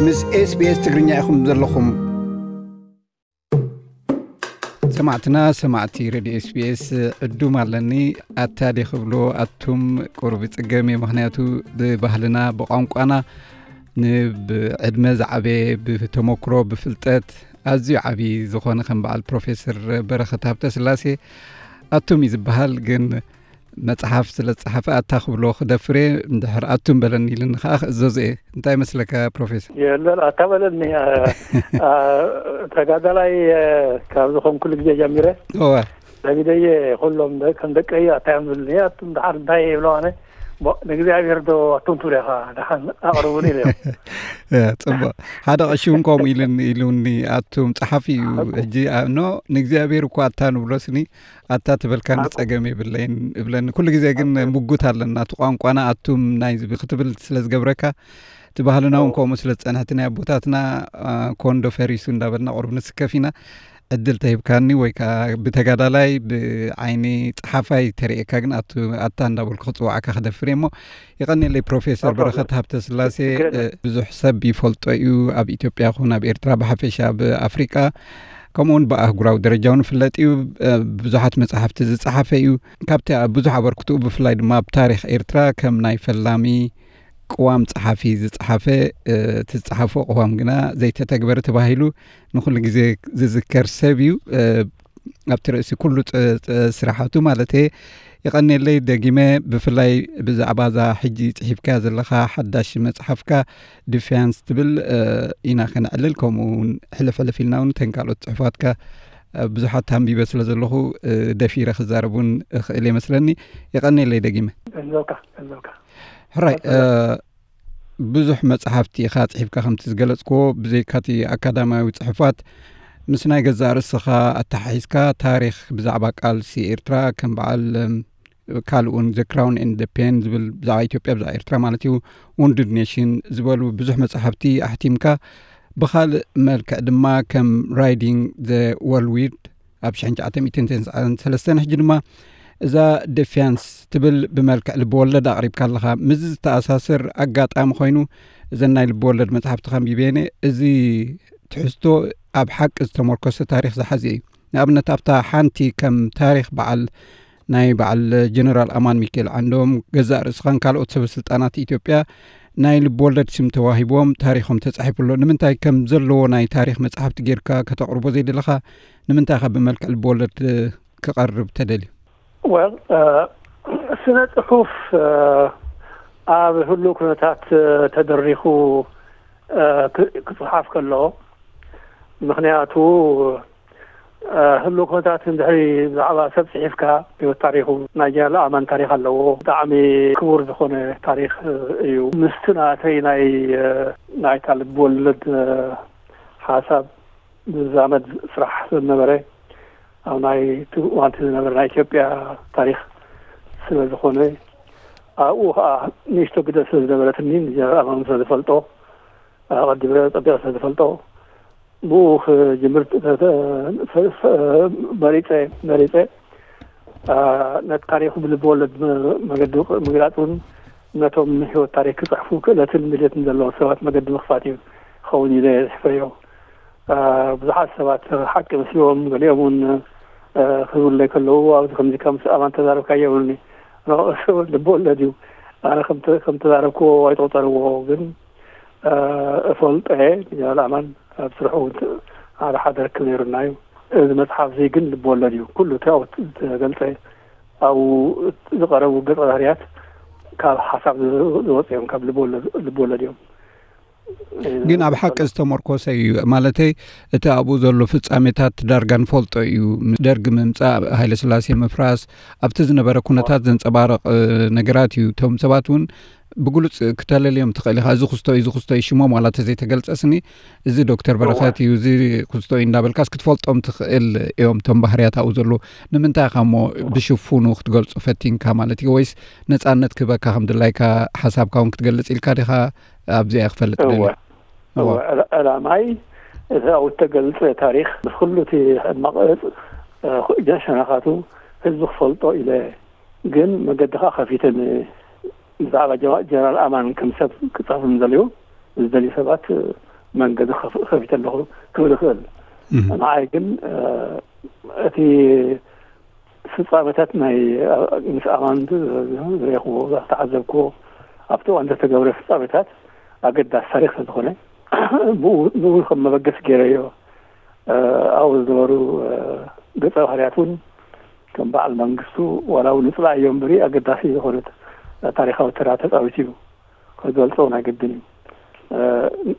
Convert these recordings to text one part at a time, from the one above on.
ምስ SBS ትግርኛ ኢኹም ዘለኹም። ሰማዕትና፣ ሰማዕቲ ሬድዮ SBS ዕዱም ኣለኒ። ኣታ ደ ክብሎ፣ ኣቱም ቁሩብ ይጽገም እየ። ምኽንያቱ ብባህልና፣ ብቋንቋና፣ ንብዕድመ ዝዓበየ፣ ብተመክሮ፣ ብፍልጠት ኣዝዩ ዓቢ ዝኾነ ከም በዓል ፕሮፌሰር በረኸት ሃብተስላሴ ኣቱም እዩ ዝበሃል። ግን መጽሓፍ ስለ ዝጸሓፈ ኣታ ክብሎ ክደፍር እየ። እንድሕር ኣቱም በለኒ ኢልኒ ከኣ ክእዘዞ እየ። እንታይ ይመስለካ ፕሮፌሰር? የለን፣ ኣታ በለኒ። አ፣ አ፣ ተጋዳላይ፣ አ፣ ካብ ዝኾንኩሉ ግዜ ጀሚረ እወ። ለሚደየ ኩሎም ደ-፣ ከም ደቀይ ኣታ እዮም ዝብልኒ። ኣቱም ደሓር እንታይ ይብሎ ኣነ? ቦ-፣ ንእግዚኣብሔር ዶ ኣቱም ትብሉ ኢኻ? ደሓን ኣቕርቡኒ ኢለ። እ፣ ጽቡቕ። ሓደ ቀሺ እውን ከምኡ ኢሉኒ፣ ኢሉኒ፣ ኣቱም ጸሓፊ እዩ። ሕጂ፣ ኣ-፣ ኖ፣ ንእግዚኣብሔር እኮ ኣታ ንብሎ ስኒ፣ ኣታ ትበልካኒ ኣኮ። ጸገም የብለይን እብለኒ። ኩሉ ግዜ ግን ኣኮ። ምጉት ኣለና። እቲ ቋንቋና ኣቱም ናይ ዝብል ክትብል ስለ ዝገብረካ፣ እቲ ባህልና እውን ኣኮ። ከምኡ ስለ ዝጸንሐ፣ እቲ ናይ ኣቦታትና፣ ኣ፣ ኮንዶ ፈሪሱ እንዳበልና ቁሩብ ንስከፍ ኢና። ዕድል ተሂብካኒ ወይ ከኣ ብተጋዳላይ ብዓይኒ ጸሓፋይ ተርእየካ ግን ኣቱ-፣ ኣታ እንዳበልኩ ክጽውዓካ ክደፍር እየ እሞ፣ የቐንየለይ ፕሮፌሰር ኣቶ በረኸት ሃብተስላሴ። ችግር የለን። እ፣ ብዙሕ ሰብ ይፈልጦ እዩ፣ ኣብ ኢትዮጵያ ይኹን ኣብ ኤርትራ፣ ብሓፈሻ ኣብ ኣፍሪቃ፣ ከምኡ እውን ብኣህጉራዊ ደረጃ እውን ይፍለጥ እዩ። እ፣ ብዙሓት መጻሕፍቲ ዝጸሓፈ እዩ። ካብቲ ኣብ ብዙሕ ኣበርክትኡ፣ ብፍላይ ድማ ኣብ ታሪኽ ኤርትራ ከም ናይ ፈላሚ ቅዋም ጸሓፊ ዝጸሓፈ፣ እ፣ እቲ ዝጸሓፎ ቅዋም ግና ዘይተተግበረ ተባሂሉ ንኹሉ ግዜ ዝዝከር ሰብ እዩ። እ፣ ኣብቲ ርእሲ ኩሉ ጸ-፣ ጸ-፣ ስራሓቱ ማለተየ። የቐንየለይ ደጊመ፣ ብፍላይ ብዛዕባ እዛ ሕጂ ጽሒፍካያ ዘለኻ ሓዳሽ መጽሓፍካ ዲፊያንስ ትብል፣ እ፣ ኢና ከነዕልል። ከምኡ እውን ሕልፍ ሕልፍ ኢልና እውን እተን ካልኦት ጽሑፋትካ፣ እ፣ ብዙሓት ኣንቢበ ስለ ዘለኹ፣ እ፣ ደፊረ ክዛረብ እውን እኽእል እየ መስለኒ። የቐንየለይ ደጊመ። እዞካ፣ እዞካ። ሕራይ፣ ቀጽሎ። እ፣ ብዙሕ መጽሓፍቲ ኢኻ ጽሒፍካ፣ ከምቲ ዝገለጽክዎ፣ ብዘይካቲ ኣካዳሚያዊ ጽሑፋት፣ ምስ ናይ ገዛእ ርእስኻ ኣተሓሒዝካ ታሪኽ ብዛዕባ ቃልሲ ኤርትራ፣ ከም በዓል፣ እም፣ ካልእ እውን The Crown and the Pen ዝብል፣ ብዛዕባ ኢትዮጵያ፣ ብዛዕባ ኤርትራ ማለት እዩ፣ Wounded Nation ዝበሉ ብዙሕ መጽሓፍቲ ኣሕቲምካ፣ ብኻልእ መልክዕ ድማ ከም Riding the Whirlwind ኣብ ሽሕን ትሽዓተ ሚእትን ተስዓን ሰለስተን፣ ሕጂ ድማ እዛ ደፊያንስ ትብል ብመልክዕ ልብወለድ ኣቕሪብካ ኣለኻ። ምስዚ ዝተኣሳሰር ኣጋጣሚ ኮይኑ፣ እዘን ናይ ልብወለድ መጽሓፍቲ ከንቢበ እየ። እዚ ትሕዝቶ ኣብ ሓቂ ዝተመርኮሰ ታሪኽ ዝሓዘ እዩ። ንኣብነት፣ ኣብታ ሓንቲ ከም ታሪኽ በዓል፣ ናይ በዓል ጀነራል ኣማን ሚካኤል ዓንዶም፣ ገዛእ ርእስኻን ካልኦት ሰበ ስልጣናት ኢትዮጵያ ናይ ልብወለድ ስም ተዋሂቦም ታሪኾም ተጻሒፉ ኣሎ። ንምንታይ ከም ዘለዎ ናይ ታሪኽ መጽሓፍቲ ጌርካ ከተቕርቦ ዘይደለኻ? ንምንታይ ኢኻ ብመልክዕ ልብወለድ ክቐርብ ተደልዩ? ወል፣ እ፣ ስነ ጽሑፍ፣ እ፣ ኣብ ህሉው ኩነታት፣ እ፣ ተደሪኹ፣ እ፣ ክ-፣ ክጽሓፍ ከሎ፣ ምኽንያቱ፣ እ፣ ህሉው ኩነታት እንድሕሪ ብዛዕባ ሰብ ጽሒፍካ፣ ህይወት ታሪኹ፣ ናይ ጀነራል ኣማን ታሪኽ ኣለዎ። ብጣዕሚ ክቡር ዝኾነ ታሪኽ፣ እ፣ እዩ። ምስቲ ናተይ ናይ፣ እ፣ ናይታ ልብ ወለድ፣ እ፣ ሓሳብ ዝዛመድ ስራሕ ስለ ዝነበረ፣ ኣብ ናይ እቲ እዋን እቲ ዝነበረ ናይ ኢትዮጵያ ታሪኽ ስለ ዝኾነ፣ ኣብኡ ኸዓ ንእሽቶ ግደ ስለ ዝነበረትኒ፣ ንጀነራል ኣማን ስለ ዝፈልጦ፣ ኣቐዲመ ጸቢቐ ስለ ዝፈልጦ፣ ብኡ ክጅምር ተ-፣ ተ-፣ ፈ-፣ ፈ-፣ መሪጸ፣ መሪጸ፣ ኣ፣ ነቲ ታሪኹ ብልቢ ወለድ መ-፣ መገዲ ቅ-፣ ምግላጽ እውን ነቶም ህይወት ታሪኽ ክጽሕፉ ክእለትን ድልየትን ዘለዎም ሰባት መገዲ ምኽፋት እዩ ክኸውን ኢለ እየ ዝሕፈዮ። ኣ፣ ብዙሓት ሰባት ሓቂ መስልዎም፣ ገሊኦም እውን፣ እ፣ ክብለይ ከለዉ፣ ኣብዚ ከምዚ ከም ኣማን ተዛረብካዮ ይብሉኒ። ንዕኡ ልቢ ወለድ እዩ። ኣነ ከም ተ-፣ ከም ተዛረብክዎ ኣይትቑጸርዎ፣ ግን፣ እ፣ እፈልጦ እየ። ጀነራል ኣማን ኣብ ስርሑ እውን ት-፣ ሓደ ሓደ ርክብ ነይሩና እዩ። እዚ መጽሓፍ እዚ ግን ልቢ ወለድ እዩ። ኩሉ እቲ ኣብኡ እተገልጸ፣ ኣብኡ ዝቐረቡ ገጸ ባህርያት ካብ ሓሳብ ዝ-፣ ዝወጹ እዮም፣ ካብ ልቢ ወለድ፣ ልቢ ወለድ እዮም። ግን ኣብ ሓቂ ዝተመርኮሰ እዩ። ማለተይ፣ እቲ ኣብኡ ዘሎ ፍጻሜታት ዳርጋ ንፈልጦ እዩ። ምስ ደርጊ ምምጻእ፣ ሃይለ ስላሴ ምፍራስ፣ ኣብቲ ዝነበረ ኩነታት ዘንጸባርቕ፣ እ፣ ነገራት እዩ። እቶም ሰባት እውን ብግሉጽ ክተለልዮም ትኽእል ኢኻ። እዚ ክስቶ እዩ፣ እዚ ክስቶ እዩ፣ ሽሞም ዋላ እንተዘይተገልጸ ስኒ፣ እዚ ዶክተር እወ። በረኸት እዩ፣ እዚ ክስቶ እዩ እንዳበልካስ ክትፈልጦም ትኽእል እዮም፣ እቶም ባህርያት ኣብኡ ዘለዉ። ንምንታይ ኢኻ እሞ እወ። ብሽፉኑ ክትገልጾ ፈቲንካ ማለት እዩ? ወይስ ነጻነት ክህበካ ከም ድላይካ ሓሳብካ እውን ክትገልጽ ኢልካ ዲኻ ኣብዚኣ ክፈልጥ እወ። ደልየ። እወ። እወ፣ ዕላ-፣ ዕላማይ እቲ ኣብኡ እተገልጸ ታሪኽ ምስ ኩሉ እቲ ሕማቕ፣ እ፣ ሸነኻቱ ህዝቢ ክፈልጦ ኢለ፣ ግን መገዲ ከኣ ከፊተ ን-፣ ብዛዕባ ጀ-፣ ጀነራል ኣማን ከም ሰብ ክጽሕፉ ንዘለዉ፣ ዝደልዩ ሰባት፣ እ፣ መንገዲ ከፍ- ከፊተ ኣለኹ ክብል ይኽእል። ንዓይ ግን እቲ ፍጻመታት ናይ ምስ ኣማን ዝረኹዎ ዝተዓዘብኩዎ ኣብቲ እዋን ዝተገብረ ፍጻመታት ኣገዳሲ ታሪክ ስለዝኾነ ብኡ ከም መበገስ ገይረዮ። ኣብኡ ዝነበሩ ገጸ ባህርያት እውን ከም በዓል መንግስቱ ዋላ እውን ንጽላእ እዮም እምበሪ ኣገዳሲ ዝኾነት ታሪካዊ ተራ ተጻዊቱ እዩ። ክገልጾ ናይ ግድን እዩ።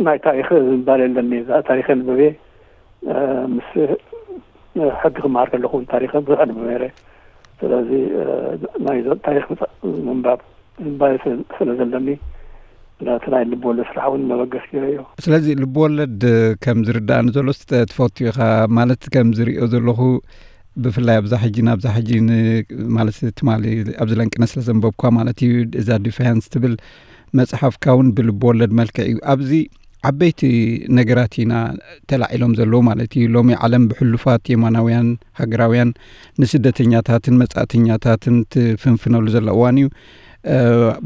ናይ ታሪክ ዝንባል የለኒ። ታሪክ ንበቤ ምስ ሕጊ ክመሃር ከለኹ እውን ታሪክ ብዙሕ ንበብ ነይረ። ስለዚ ናይ ታሪክ ምንባብ ዝንባል ስለ ዘለኒ ነቲ ናይ ልብወለድ ስራሕ እውን መበገስ ገይረዮ። ስለዚ ልብወለድ ከም ዝርዳእኒ ዘሎ ትፈቱ ኢኻ ማለት ከም ዝሪኦ ዘለኹ ብፍላይ ኣብዛ ሕጂ ናብዛ ሕጂ ማለት ትማሊ ኣብዚ ለንቅነ ስለ ዘንበብኳ ማለት እዩ። እዛ ዲፋያንስ ትብል መጽሓፍካ እውን ብልብ ወለድ መልክዕ እዩ። ኣብዚ ዓበይቲ ነገራት ኢና ተላዒሎም ዘለዉ ማለት እዩ። ሎሚ ዓለም ብሕሉፋት የማናውያን ሃገራውያን ንስደተኛታትን መጻእተኛታትን ትፍንፍነሉ ዘላ እዋን እዩ።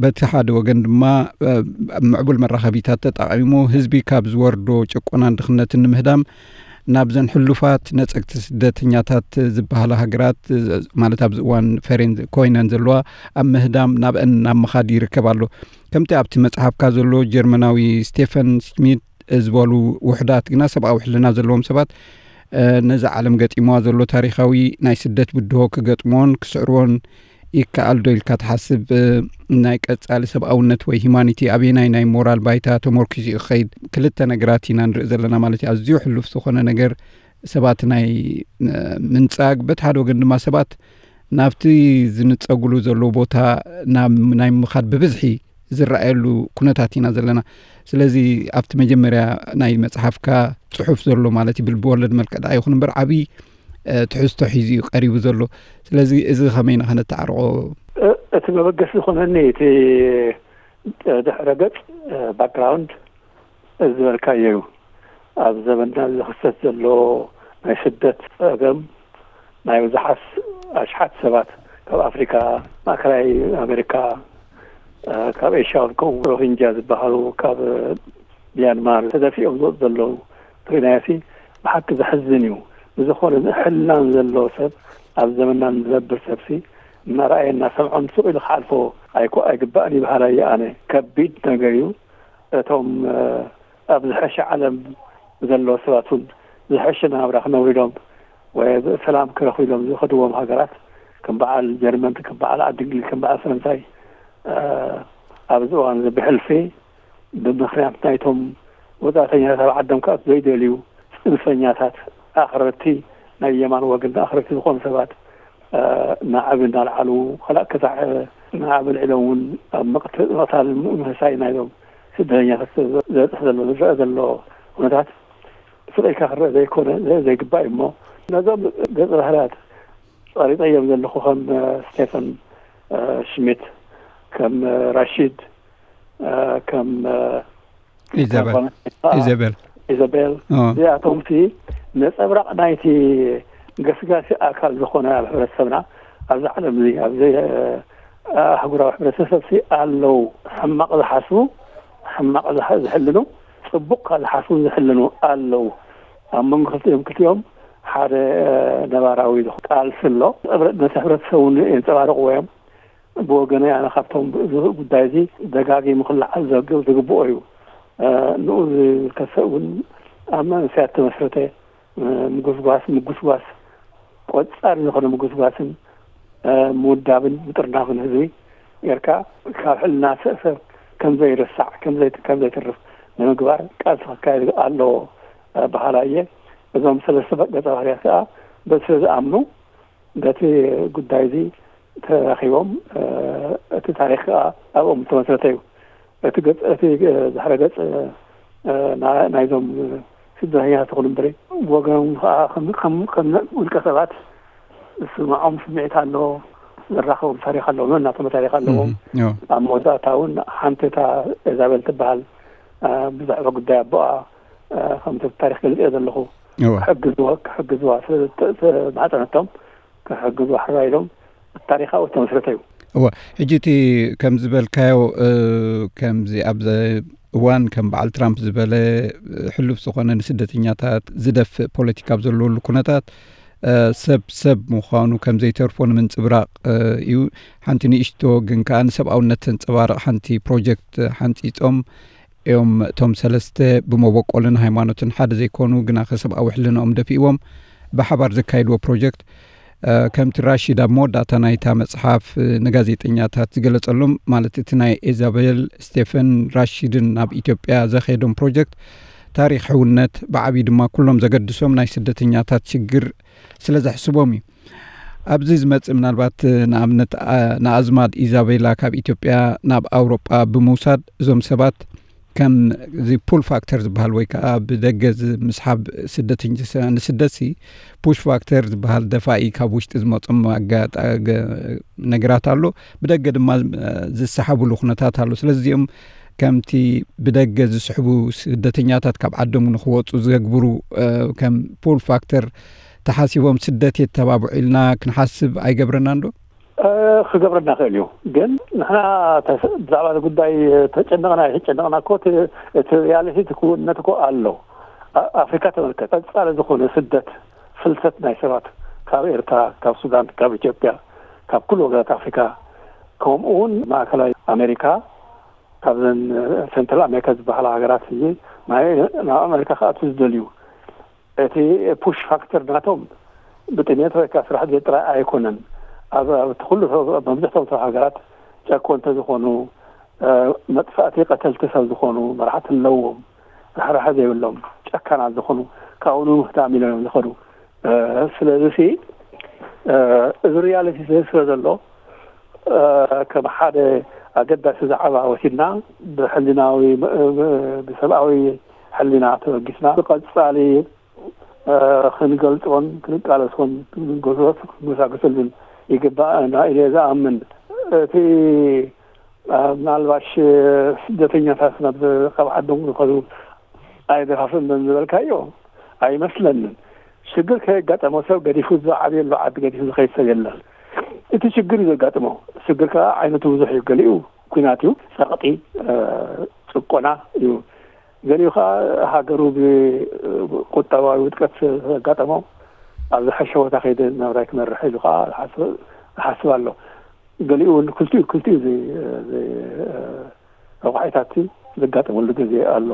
በቲ ሓደ ወገን ድማ ምዕቡል መራኸቢታት ተጠቒሙ ህዝቢ ካብ ዝወርዶ ጭቆናን ድኽነትን ንምህዳም ናብዘን ሕሉፋት ነጸግቲ ስደተኛታት ዝበሃላ ሃገራት ማለት ኣብዚ እዋን ፈሬን ኮይነን ዘለዋ ኣብ ምህዳም ናብአን ናብ ምኻድ ይርከብ ኣሎ። ከምቲ ኣብቲ መጽሓፍካ ዘሎ ጀርመናዊ ስቴፈን ሽሚት ዝበሉ ውሕዳት ግና ሰብኣዊ ሕልና ዘለዎም ሰባት ነዚ ዓለም ገጢምዋ ዘሎ ታሪኻዊ ናይ ስደት ብድሆ ክገጥምዎን ክስዕርዎን ይከኣል ዶ ኢልካ ትሓስብ? ናይ ቀጻሊ ሰብኣውነት ወይ ሂማኒቲ ኣበየናይ ናይ ሞራል ባይታ ተመርኪሱ እዩ ክኸይድ? ክልተ ነገራት ኢና ንርኢ ዘለና ማለት እዩ። ኣዝዩ ሕሉፍ ዝኾነ ነገር ሰባት ናይ ምንጻግ፣ በቲ ሓደ ወገን ድማ ሰባት ናብቲ ዝንጸጉሉ ዘለዉ ቦታ ናይ ምኻድ ብብዝሒ ዝረኣየሉ ኩነታት ኢና ዘለና። ስለዚ ኣብቲ መጀመርያ ናይ መጽሓፍካ ጽሑፍ ዘሎ ማለት እዩ ብልቢ ወለድ መልክዕ ደኣ ይኹን እምበር ዓብዪ ትሕዝቶ ሒዙ እዩ ቀሪቡ ዘሎ። ስለዚ እዚ ከመይ ኢና ከነተዓርቆ? እቲ መበገሲ ዝኾነኒ እቲ ድሕረ ገጽ ባክግራውንድ ዝበልካዮ እዩ። ኣብ ዘበንና ዝኽሰት ዘሎ ናይ ስደት ጸገም ናይ ብዙሓት ኣሽሓት ሰባት ካብ ኣፍሪካ፣ ማእከላይ ኣሜሪካ፣ ካብ ኤሽያ እውን ከምኡ ሮሂንጃ ዝበሃሉ ካብ ሚያንማር ተደፊኦም ዝወፁ ዘለዉ ርኢናዮሲ ብሓቂ ዘሕዝን እዩ። ብዝኾነ ሕልናን ዘለዎ ሰብ ኣብ ዘመንና ንዘብር ሰብሲ እናረኣየ እናሰምዖ ንሱቕ ኢሉ ክሓልፎ ኣይኮ ኣይግባእን ይበሃል ኣየ ኣነ። ከቢድ ነገር እዩ። እቶም ኣብ ዝሐሸ ዓለም ዘለዉ ሰባት እውን ዝሐሸ ናብራ ክነብሩ ኢሎም ወይ ሰላም ክረኽቡ ኢሎም ዝኸድዎም ሃገራት ከም በዓል ጀርመን ከም በዓል ዓዲ እንግሊዝ ከም በዓል ፈረንሳይ ኣብዚ እዋን እዚ ብሕልፊ ብምኽንያት ናይቶም ወጻእተኛታት ኣብ ዓዶም ክኣቱ ዘይደልዩ ጽንፈኛታት ኣኽረርቲ ናይ የማን ወገን ኣኽረርቲ ዝኾኑ ሰባት ናዕቢ እናልዓሉ ከላእ ክሳዕ ናዕቢ ኣልዒሎም እውን ኣብ ምቕታል ምህሳይ ናይዞም ስደተኛታት ዘብፅሕ ዘሎ ዝረአ ዘሎ ኩነታት ስቕ ኢልካ ክረአ ዘይኮነ ዘይግባእ እዩ። እሞ ነዞም ገፀ ባህርያት ጸሪጠዮም ዘለኹ ከም ስቴፈን ሽሚት፣ ከም ራሺድ፣ ከም ኢዘበል ኢዘበል ኢዘቤል እዚኣቶም ሲ ነጸብራቕ ናይቲ ገስጋሲ ኣካል ዝኾነ ኣብ ሕብረተሰብና ኣብዚ ዓለም እዚ ኣብዚ ኣህጉራዊ ሕብረተሰብ ሲ ኣለዉ። ሕማቕ ዝሓስቡ ሕማቕ ዝሕልኑ ጽቡቕ ካብ ዝሓስቡ ዝሕልኑ ኣለዉ። ኣብ መንጎ ክልቲኦም ክልቲኦም ሓደ ነባራዊ ቃልሲ ኣሎ። ነቲ ሕብረተሰብ እውን የንጸባርቕዎ እዮም። ብወገነይ ኣነ ካብቶም እዚ ጉዳይ እዚ ደጋጊሙ ክለዓል ዝግብኦ እዩ። ንኡ ዝከሰእ እውን ኣብ መንእሰያት ተመስረተ ምጉስጓስ ምጉስጓስ ቆጻሪ ዝኾነ ምጉስጓስን ምውዳብን ምጥርናፍን ህዝቢ ጌርካ ካብ ሕልና ሰብ ከም ዘይርሳዕ ከም ዘይትርፍ ንምግባር ቃልሲ ክካየድ ኣለዎ በሃላይ እየ። እዞም ሰለስተ ገጸ ባህርያት ከዓ በዚ ስለ ዝኣምኑ በቲ ጉዳይ እዚ ተራኺቦም እቲ ታሪክ ከዓ ኣብኦም ዝተመስረተ እዩ። እቲ ገጽ እቲ ድሕረ ገጽ ናይዞም ስደተኛታት ይኹን እምበሪ ብወገኖም ከዓ ከም ውልቀ ሰባት ዝስምዖም ስምዒት ኣሎ፣ ዝራኸቦም ታሪክ ኣለዎም፣ ነናቶም ታሪክ ኣለዎም። ኣብ መወዳእታ እውን ሓንቲ እታ ኤዛቤል ትበሃል ብዛዕባ ጉዳይ ኣቦኣ ከምቲ ታሪክ ገልጽዮ ዘለኹ ክሕግዝዋ ክሕግዝዋ ስለዝተማሕፀነቶም ክሕግዝዋ ሕራ ኢሎም ታሪካዊ ዝተመስረተ እዩ። እወ፣ ሕጂ እቲ ከም ዝበልካዮ ከምዚ ኣብ እዋን ከም በዓል ትራምፕ ዝበለ ሕሉፍ ዝኾነ ንስደተኛታት ዝደፍእ ፖለቲካ ኣብ ዘለወሉ ኩነታት ሰብ ሰብ ምዃኑ ከም ዘይተርፎ ንምንጽብራቕ እዩ። ሓንቲ ንእሽቶ ግን ከኣ ንሰብኣውነት ተንጸባርቕ ሓንቲ ፕሮጀክት ሓንጺጾም እዮም። እቶም ሰለስተ ብመበቆልን ሃይማኖትን ሓደ ዘይኮኑ ግና ከሰብኣዊ ሕልናኦም ደፊእዎም ብሓባር ዘካየድዎ ፕሮጀክት ከምቲ ራሺድ ኣብ መወዳእታ ናይታ መጽሓፍ ንጋዜጠኛታት ዝገለጸሎም ማለት እቲ ናይ ኢዛቤል ስቴፈን ራሺድን ናብ ኢትዮጵያ ዘኸየዶም ፕሮጀክት ታሪኽ ሕውነት ብዓብዪ ድማ ኩሎም ዘገድሶም ናይ ስደተኛታት ሽግር ስለ ዘሕስቦም እዩ። ኣብዚ ዝመጽእ ምናልባት ንኣብነት ንኣዝማድ ኢዛቤላ ካብ ኢትዮጵያ ናብ ኣውሮጳ ብምውሳድ እዞም ሰባት ከም እዚ ፑል ፋክተር ዝበሃል ወይ ከዓ ብደገ ምስሓብ ስደተኛ ንስደት ሲ ፑሽ ፋክተር ዝበሃል ደፋኢ ካብ ውሽጢ ዝመጾም ነገራት ኣሎ። ብደገ ድማ ዝሰሓብሉ ኩነታት ኣሎ። ስለዚ እዚኦም ከምቲ ብደገ ዝስሕቡ ስደተኛታት ካብ ዓዶም ንክወፁ ዘግብሩ ከም ፑል ፋክተር ተሓሲቦም ስደት የተባብዑ ኢልና ክንሓስብ ኣይገብረናን ዶ? ክገብረና ክእል እዩ። ግን ንሕና ብዛዕባ ጉዳይ ተጨነቕና ኣይተጨነቕና እኮ እቲ ሪያሊቲ እቲ ክውንነት እኮ ኣሎ። ኣፍሪካ ተመልከት፣ ቀፃሊ ዝኾነ ስደት፣ ፍልሰት ናይ ሰባት ካብ ኤርትራ፣ ካብ ሱዳን፣ ካብ ኢትዮጵያ፣ ካብ ኩሉ ወገናት ኣፍሪካ፣ ከምኡ እውን ማእከላይ ኣሜሪካ፣ ካብዘን ሰንትራል ኣሜሪካ ዝበሃላ ሃገራት እዚ ናብ ኣሜሪካ ክኣቱ ዝደልዩ፣ እቲ ፑሽ ፋክተር ናቶም ብጥሜት ወይ ከዓ ስራሕ ጥራይ ኣይኮነን። ኣብ ኩሉ መብዛሕቶም ሰብ ሃገራት ጨኮ እንተዝኾኑ፣ መጥፋእቲ ቀተልቲ ሰብ ዝኾኑ፣ መራሕቲ ኣለዎም፣ ራሕራሐ ዘይብሎም ጨካናት ዝኾኑ፣ ካብኡ ንምኽታም ኢሎም እዮም ዝኸዱ። ስለዚ እዚ ሪያሊቲ ስለ ዘሎ ከም ሓደ ኣገዳሲ ዛዕባ ወሲድና ብሕልናዊ ብሰብኣዊ ሕልና ተበጊስና ብቐፃሊ ክንገልፆን ክንቃለሶን ክንጎሳጎሰሉን ይግባእ ኢለ ዝኣምን። እቲ ምናልባሽ ስደተኛታት ናብ ካብ ዓዶም ዝኸዱ ኣየደፋፍእን ዝበልካዮ ኣይመስለንን። ሽግር ከየጋጠሞ ሰብ ገዲፉ ዝዓብየሉ ዓዲ ገዲፉ ዝኸይድ ሰብ የለን። እቲ ሽግር እዩ ዘጋጥሞ። ሽግር ከዓ ዓይነቱ ብዙሕ እዩ። ገሊኡ ኲናት እዩ፣ ፀቕጢ፣ ጭቆና እዩ። ገሊኡ ከዓ ሃገሩ ብቁጠባዊ ውድቀት ዘጋጠሞ ኣብ ዝሐሸ ቦታ ከይደ ናብራይ ክመርሕ ኢሉ ከዓ ዝሓስብ ኣሎ። ገሊኡ እውን ክልቲኡ ክልቲኡ ረቋሒታት ዘጋጠመሉ ግዜ ኣሎ።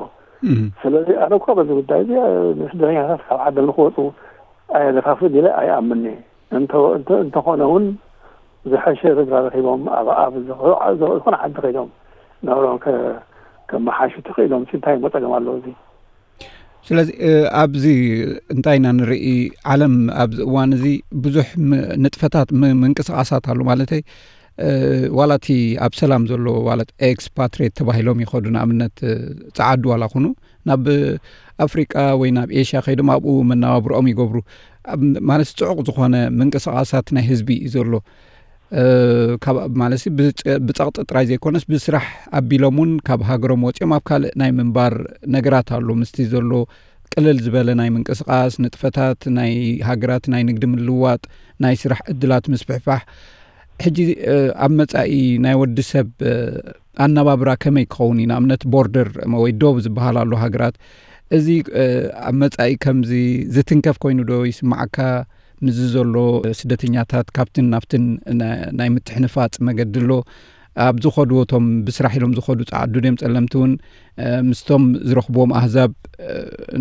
ስለዚ ኣነ እኳ በዚ ጉዳይ እዚ ንስደተኛታት ካብ ዓዶም ንክወፁ ኣየደፋፍእን ኢለ ኣይኣምን። እንተኾነ እውን ዝሐሸ ስድራ ረኪቦም ኣብ ዝኾነ ዓዲ ከይዶም ናብሮም ከመሓሹ ተኽኢሎም እንታይ እሞ ፀገም ኣለዎ? እዚ ስለዚ ኣብዚ እንታይ ኢና ንርኢ? ዓለም ኣብዚ እዋን እዚ ብዙሕ ንጥፈታት ምንቅስቃሳት ኣሎ ማለተይ ዋላ እቲ ኣብ ሰላም ዘሎ ዋላ ኤክስፓትሬት ተባሂሎም ይኸዱ ንኣብነት ፀዓዱ ዋላ ኩኑ ናብ ኣፍሪቃ ወይ ናብ ኤሽያ ከይዶም ኣብኡ መናባብርኦም ይገብሩ። ማለት ፅዑቕ ዝኾነ ምንቅስቃሳት ናይ ህዝቢ እዩ ዘሎ። ማለት ብፀቕጢ ጥራይ ዘይኮነስ ብስራሕ ኣቢሎም እውን ካብ ሃገሮም ወፂኦም ኣብ ካልእ ናይ ምንባር ነገራት ኣሎ። ምስቲ ዘሎ ቅልል ዝበለ ናይ ምንቅስቃስ ንጥፈታት ናይ ሃገራት ናይ ንግዲ ምልዋጥ ናይ ስራሕ ዕድላት ምስፍሕፋሕ ሕጂ ኣብ መፃኢ ናይ ወዲ ሰብ ኣነባብራ ከመይ ክኸውን እዩ? ንኣብነት ቦርደር ወይ ዶብ ዝበሃል ኣሎ ሃገራት እዚ ኣብ መፃኢ ከምዚ ዝትንከፍ ኮይኑ ዶ ይስማዓካ? ምስዚ ዘሎ ስደተኛታት ካብትን ናብትን ናይ ምትሕንፋፅ መገዲ ኣሎ። ኣብ ዝኸድዎ እቶም ብስራሕ ኢሎም ዝኸዱ ፀዓዱ ድዮም ፀለምቲ እውን ምስቶም ዝረኽብዎም ኣህዛብ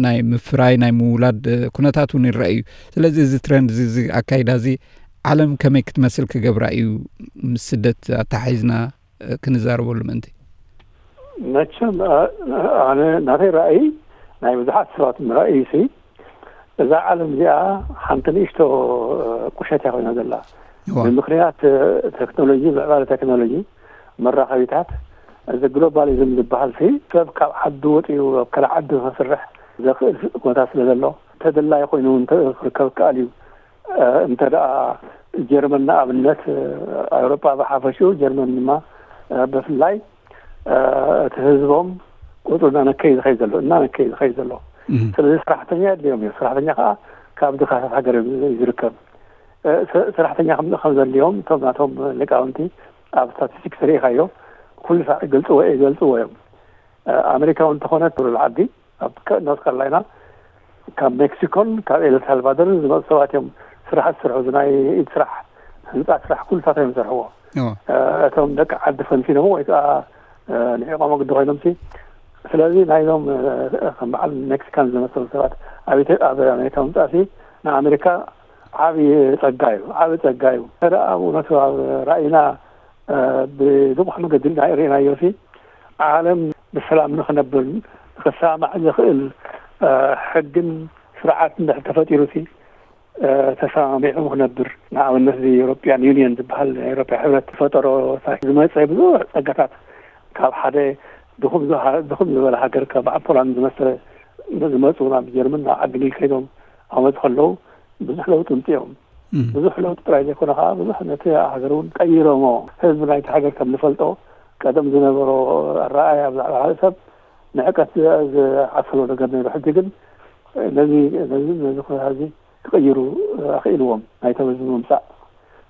ናይ ምፍራይ ናይ ምውላድ ኩነታት እውን ይረአ እዩ። ስለዚ እዚ ትረንድ እዚ ኣካይዳ እዚ ዓለም ከመይ ክትመስል ክገብራ እዩ ምስ ስደት ኣተሓሒዝና ክንዛረበሉ ምእንቲ? መቸም ኣነ ናተይ ራእይ ናይ ብዙሓት ሰባት ራእይ ሲ እዛ ዓለም እዚኣ ሓንቲ ንእሽቶ ቁሸት እያ ኮይና ዘላ። ብምክንያት ቴክኖሎጂ፣ ምዕባለ ቴክኖሎጂ፣ መራኸቢታት፣ እዚ ግሎባሊዝም ዝበሃል ሲ ሰብ ካብ ዓዱ ወፂኡ ኣብ ካልእ ዓዲ ክስርሕ ዘኽእል ኩነታት ስለ ዘሎ ተደላይ ኮይኑ ክርከብ ከኣል እዩ። እንተ ደኣ ጀርመን ንኣብነት ኣውሮጳ ብሓፈሽኡ ጀርመን ድማ ብፍላይ እቲ ህዝቦም ቁፅሩ እናነከየ ዝኸይድ ዘሎ እናነከየ ዝኸይድ ዘሎ። ስለዚ ሰራሕተኛ የድልዮም እዩ። ሰራሕተኛ ከዓ ካብ ድኻታት ሃገር እዩ ዝርከብ። ሰራሕተኛ ከም ዘድልዮም እቶም ናቶም ሊቃውንቲ ኣብ ስታቲስቲክስ ርኢኻዮ ኩሉ ሳዕ ይገልፅዎ ይገልፅዎ እዮም። ኣሜሪካ እውን እንተኾነ ትብሉ ዓዲ ኣብ ኖርት ካሮላይና ካብ ሜክሲኮን ካብ ኤልሳልቫዶርን ዝመፁ ሰባት እዮም ስራሕ ዝሰርሑ። ናይ ኢድ ስራሕ፣ ህንፃ ስራሕ ኩሉታት እዮም ዝሰርሕዎ። እቶም ደቂ ዓዲ ፈንፊኖም ወይ ከዓ ንዒቆም ግዲ ኮይኖም ሲ ስለዚ ናይዞም ከም በዓል ሜክሲካን ዝመሰሉ ሰባት ኣብ ኣሜሪካ ምምፃእ ሲ ንኣሜሪካ ዓብዪ ፀጋ እዩ። ዓብዪ ፀጋ እዩ። ደ ኣብ እውነቱ ኣብ ራእይና ብልቑሕ መገዲ ርኢናዮ ሲ ዓለም ብሰላም ንክነብር ንክሰማማዕ ዝኽእል ሕግን ስርዓት እንድሕር ተፈጢሩ ሲ ተሰማሚዑ ክነብር፣ ንኣብነት እዚ ዩሮፒያን ዩኒየን ዝበሃል ናይ ኤሮፓ ሕብረት ዝፈጠሮ ዝመፀ ብዙሕ ፀጋታት ካብ ሓደ ድኹም ዝበለ ሃገር ከም ፖላንድ ዝመሰለ ዝመፁ ናብ ጀርመን ናብ ዓዲ እንግሊዝ ከይዶም ዓመት ከለዉ ብዙሕ ለውጢ ምፅኦም። ብዙሕ ለውጢ ጥራይ ዘይኮነ ከዓ ብዙሕ ነቲ ሃገር እውን ቀይሮሞ። ህዝቢ ናይቲ ሃገር ከም ንፈልጦ ቀደም ዝነበሮ ኣረኣያ ብዛዕባ ካልእ ሰብ ንዕቀት ዝዓሰሎ ነገር ነይሩ። ሕጂ ግን ነዚ ነዚ ነዚ ኩነታት እዚ ክቕይሩ ኣኽኢልዎም ናይቶም ህዝቢ ምምፃእ።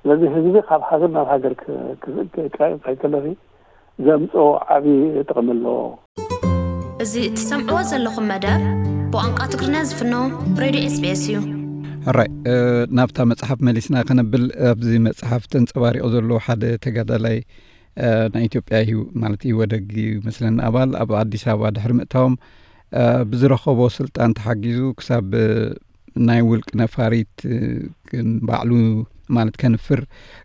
ስለዚ ህዝቢ ካብ ሃገር ናብ ሃገር ከይከለፊ ዘምፅኦ ዓብዪ ጥቕሚ ኣለዎ። እዚ እትሰምዕዎ ዘለኹም መደብ ብቋንቋ ትግርኛ ዝፍኖ ሬድዮ ኤስቢኤስ እዩ። ሕራይ ናብታ መፅሓፍ መሊስና ከነብል ኣብዚ መፅሓፍ ተንፀባሪቑ ዘሎ ሓደ ተጋዳላይ ናይ ኢትዮጵያ እዩ ማለት እዩ ወደግ ይመስለኒ ኣባል ኣብ ኣዲስ ኣበባ ድሕሪ ምእታዎም ብዝረኸቦ ስልጣን ተሓጊዙ ክሳብ ናይ ውልቂ ነፋሪት ባዕሉ ማለት ከንፍር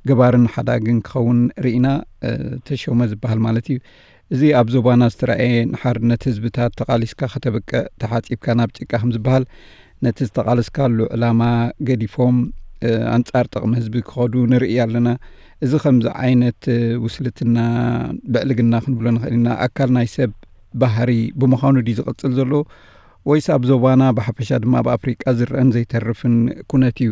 ገባርን ሓዳግን ክኸውን ርኢና ተሾመ ዝበሃል ማለት እዩ። እዚ ኣብ ዞባና ዝተረኣየ ንሓርነት ህዝብታት ተቓሊስካ ከተብቅዕ ተሓፂብካ ናብ ጭቃ ከም ዝበሃል ነቲ ዝተቓለስካሉ ዕላማ ገዲፎም ኣንፃር ጥቕሚ ህዝቢ ክኸዱ ንርኢ ኣለና። እዚ ከምዚ ዓይነት ውስልትና ብዕልግና ክንብሎ ንኽእል ኢና። ኣካል ናይ ሰብ ባህሪ ብምዃኑ ድዩ ዝቕፅል ዘሎ ወይስ ኣብ ዞባና ብሓፈሻ ድማ ኣብ ኣፍሪቃ ዝረአን ዘይተርፍን ኩነት እዩ?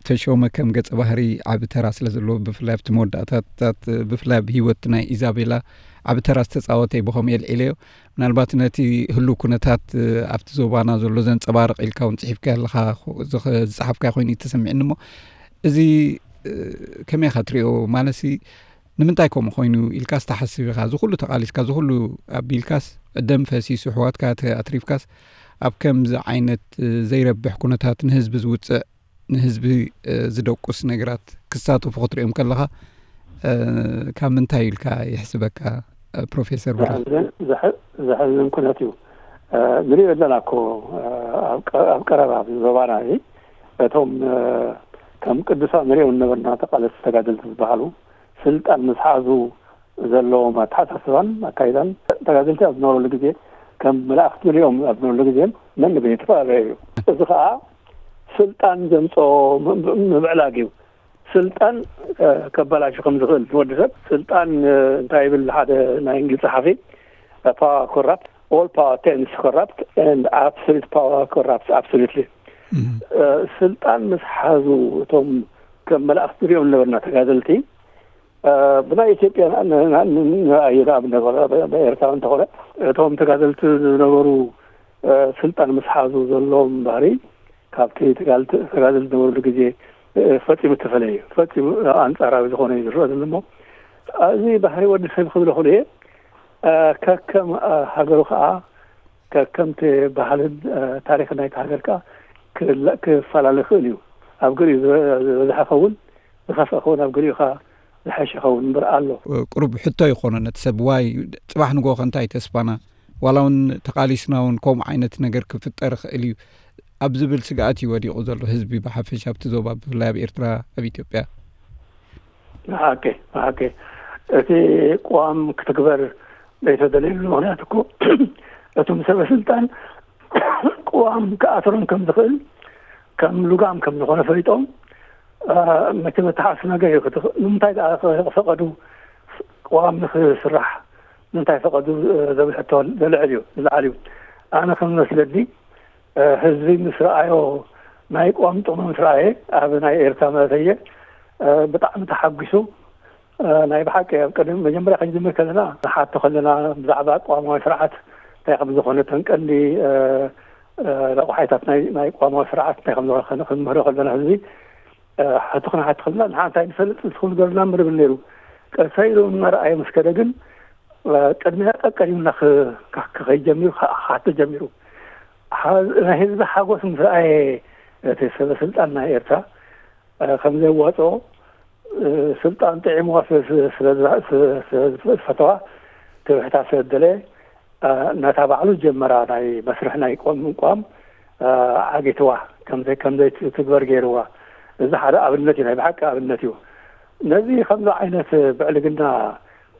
ተሾመ ከም ገፀ ባህሪ ዓቢ ተራ ስለ ዘለዎ ብፍላይ ኣብቲ መወዳእታታት ብፍላይ ኣብ ህይወት ናይ ኢዛቤላ ዓቢ ተራ ዝተፃወተ እዩ ብኸምኡ የልዒለዮ። ምናልባት ነቲ ህሉው ኩነታት ኣብቲ ዞባና ዘሎ ዘንፀባርቕ ኢልካ እውን ፅሒፍካ ኣለኻ ዝፀሓፍካ ኮይኑ እዩ ተሰሚዕኒ እሞ እዚ ከመይ ኢኻ ትሪኦ ማለት ንምንታይ ከምኡ ኮይኑ ኢልካ ዝተሓስብ ኢኻ ዝኩሉ ተቃሊስካ ዝኩሉ ኣቢልካስ ደም ፈሲሱ ኣሕዋትካ ኣትሪፍካስ ኣብ ከምዚ ዓይነት ዘይረብሕ ኩነታት ንህዝቢ ዝውፅዕ ንህዝቢ ዝደቁስ ነገራት ክሳተፉ ክትሪኦም ከለኻ ካብ ምንታይ ኢልካ ይሕስበካ ፕሮፌሰር ብራ? ዘሕዝን ኩነት እዩ። ንሪኦ ኣለና እኮ ኣብ ቀረባ ዞባና እዚ እቶም ከም ቅዱሳት ንሪኦም ነበርና ተቃለስቲ ተጋደልቲ ዝበሃሉ ስልጣን ምስ ሓዙ ዘለዎም ኣተሓሳስባን ኣካይዳን ተጋደልቲ ኣብ ዝነበረሉ ግዜ ከም መላእክቲ ንሪኦም ኣብ ዝነበረሉ ግዜ መን ንበይኑ ተፈላለየ እዩ። እዚ ከዓ ስልጣን ዘምፅኦ ምብዕላግ እዩ። ስልጣን ከባላሹ ከም ዝኽእል ንወዲ ሰብ ስልጣን እንታይ ይብል ሓደ ናይ እንግሊዝ ጸሓፊ power corrupt all power tends corrupt and absolute power corrupts absolutely ስልጣን ምስ ሓዙ እቶም ከም መላእክቲ ንሪኦም ነበርና ተጋደልቲ ብናይ ኢትዮጵያ ንኣየዳ ብነገር ኤርትራ እንተኾነ እቶም ተጋደልቲ ዝነበሩ ስልጣን ምስ ሓዙ ዘለዎም ባህሪ ካብቲ ተጋደልቲ ዝነበርሉ ግዜ ፈፂሙ እተፈለየ እዩ። ፈፂሙ ኣንፃራዊ ዝኾነ እዩ ዝረአ ዘሎ እሞ እዚ ባህሪ ወዲ ሰብ ክብሎ ክእሉ እየ። ከከም ሃገሩ ከዓ ከከምቲ ባህልን ታሪክን ናይቲ ሃገር ከዓ ክፈላለ ክእል እዩ። ኣብ ገሊኡ ዝበዝሐ ከውን ዝኸፍአ ከውን ኣብ ገሊኡ ከዓ ዝሐሸ ከውን እምበር ኣሎ። ቁሩብ ሕቶ ይኾኖ ነቲ ሰብ ዋይ ፅባሕ ንጎ ከንታይ ተስፋና ዋላ እውን ተቃሊስና እውን ከምኡ ዓይነት ነገር ክፍጠር ይኽእል እዩ ኣብ ዝብል ስግኣት እዩ ወዲቑ ዘሎ ህዝቢ ብሓፈሻ ኣብቲ ዞባ ብፍላይ ኣብ ኤርትራ ኣብ ኢትዮጵያ። ብሓቂ ብሓቂ እቲ ቅዋም ክትግበር ዘይተደለየሉ ምክንያት እኮ እቶም ሰበ ስልጣን ቅዋም ክኣስሮም ከም ዝኽእል ከም ልጓም ከም ዝኾነ ፈሊጦም መቸም ኣተሓሳስባ ገይሩ ንምንታይ ደኣ ፈቐዱ ቅዋም ንክስራሕ ንምንታይ ፈቐዱ ዘብል ሕቶ ዘልዕል እዩ ዝለዓል እዩ። ኣነ ከም መስለኒ ህዝቢ ምስ ረኣዮ ናይ ቅዋም ጥቕሚ ምስ ረኣየ ኣብ ናይ ኤርትራ ማለት እየ ብጣዕሚ ተሓጒሱ ናይ ብሓቂ ኣብ ቅድሚ መጀመርያ ክንጅምር ከለና ንሓቶ ከለና ብዛዕባ ቅዋማዊ ስርዓት እንታይ ከም ዝኾነ ተንቀንዲ ረቑሓይታት ናይ ቅዋማዊ ስርዓት እንታይ ከም ዝኾነ ክንምህሮ ከለና ህዝቢ ሕቶ ክንሓቶ ከለና ንሓ እንታይ ንፈልጥ ንስኹም ንገሩና ምርብል ነይሩ። ቀሳይ ኢሉ እናረኣየ ምስ ከደ ግን ቅድሚያ ቀቀዲምና ክኸይድ ጀሚሩ፣ ክሓቶ ጀሚሩ። ናይ ህዝቢ ሓጎስ ምስ ረኣየ፣ እቲ ሰበ ስልጣን ናይ ኤርትራ ከም ዘዋፅኦ፣ ስልጣን ጥዒምዋ ስለዝፈተዋ፣ ትብሕታ ስለዝደለ፣ ናታ ባዕሉ ጀመራ ናይ መስርሕ ናይ ቆምቋም ዓጊትዋ፣ ከምዘይ ትግበር ገይርዋ። እዚ ሓደ ኣብነት እዩ፣ ናይ ብሓቂ ኣብነት እዩ። ነዚ ከምዚ ዓይነት ብዕልግና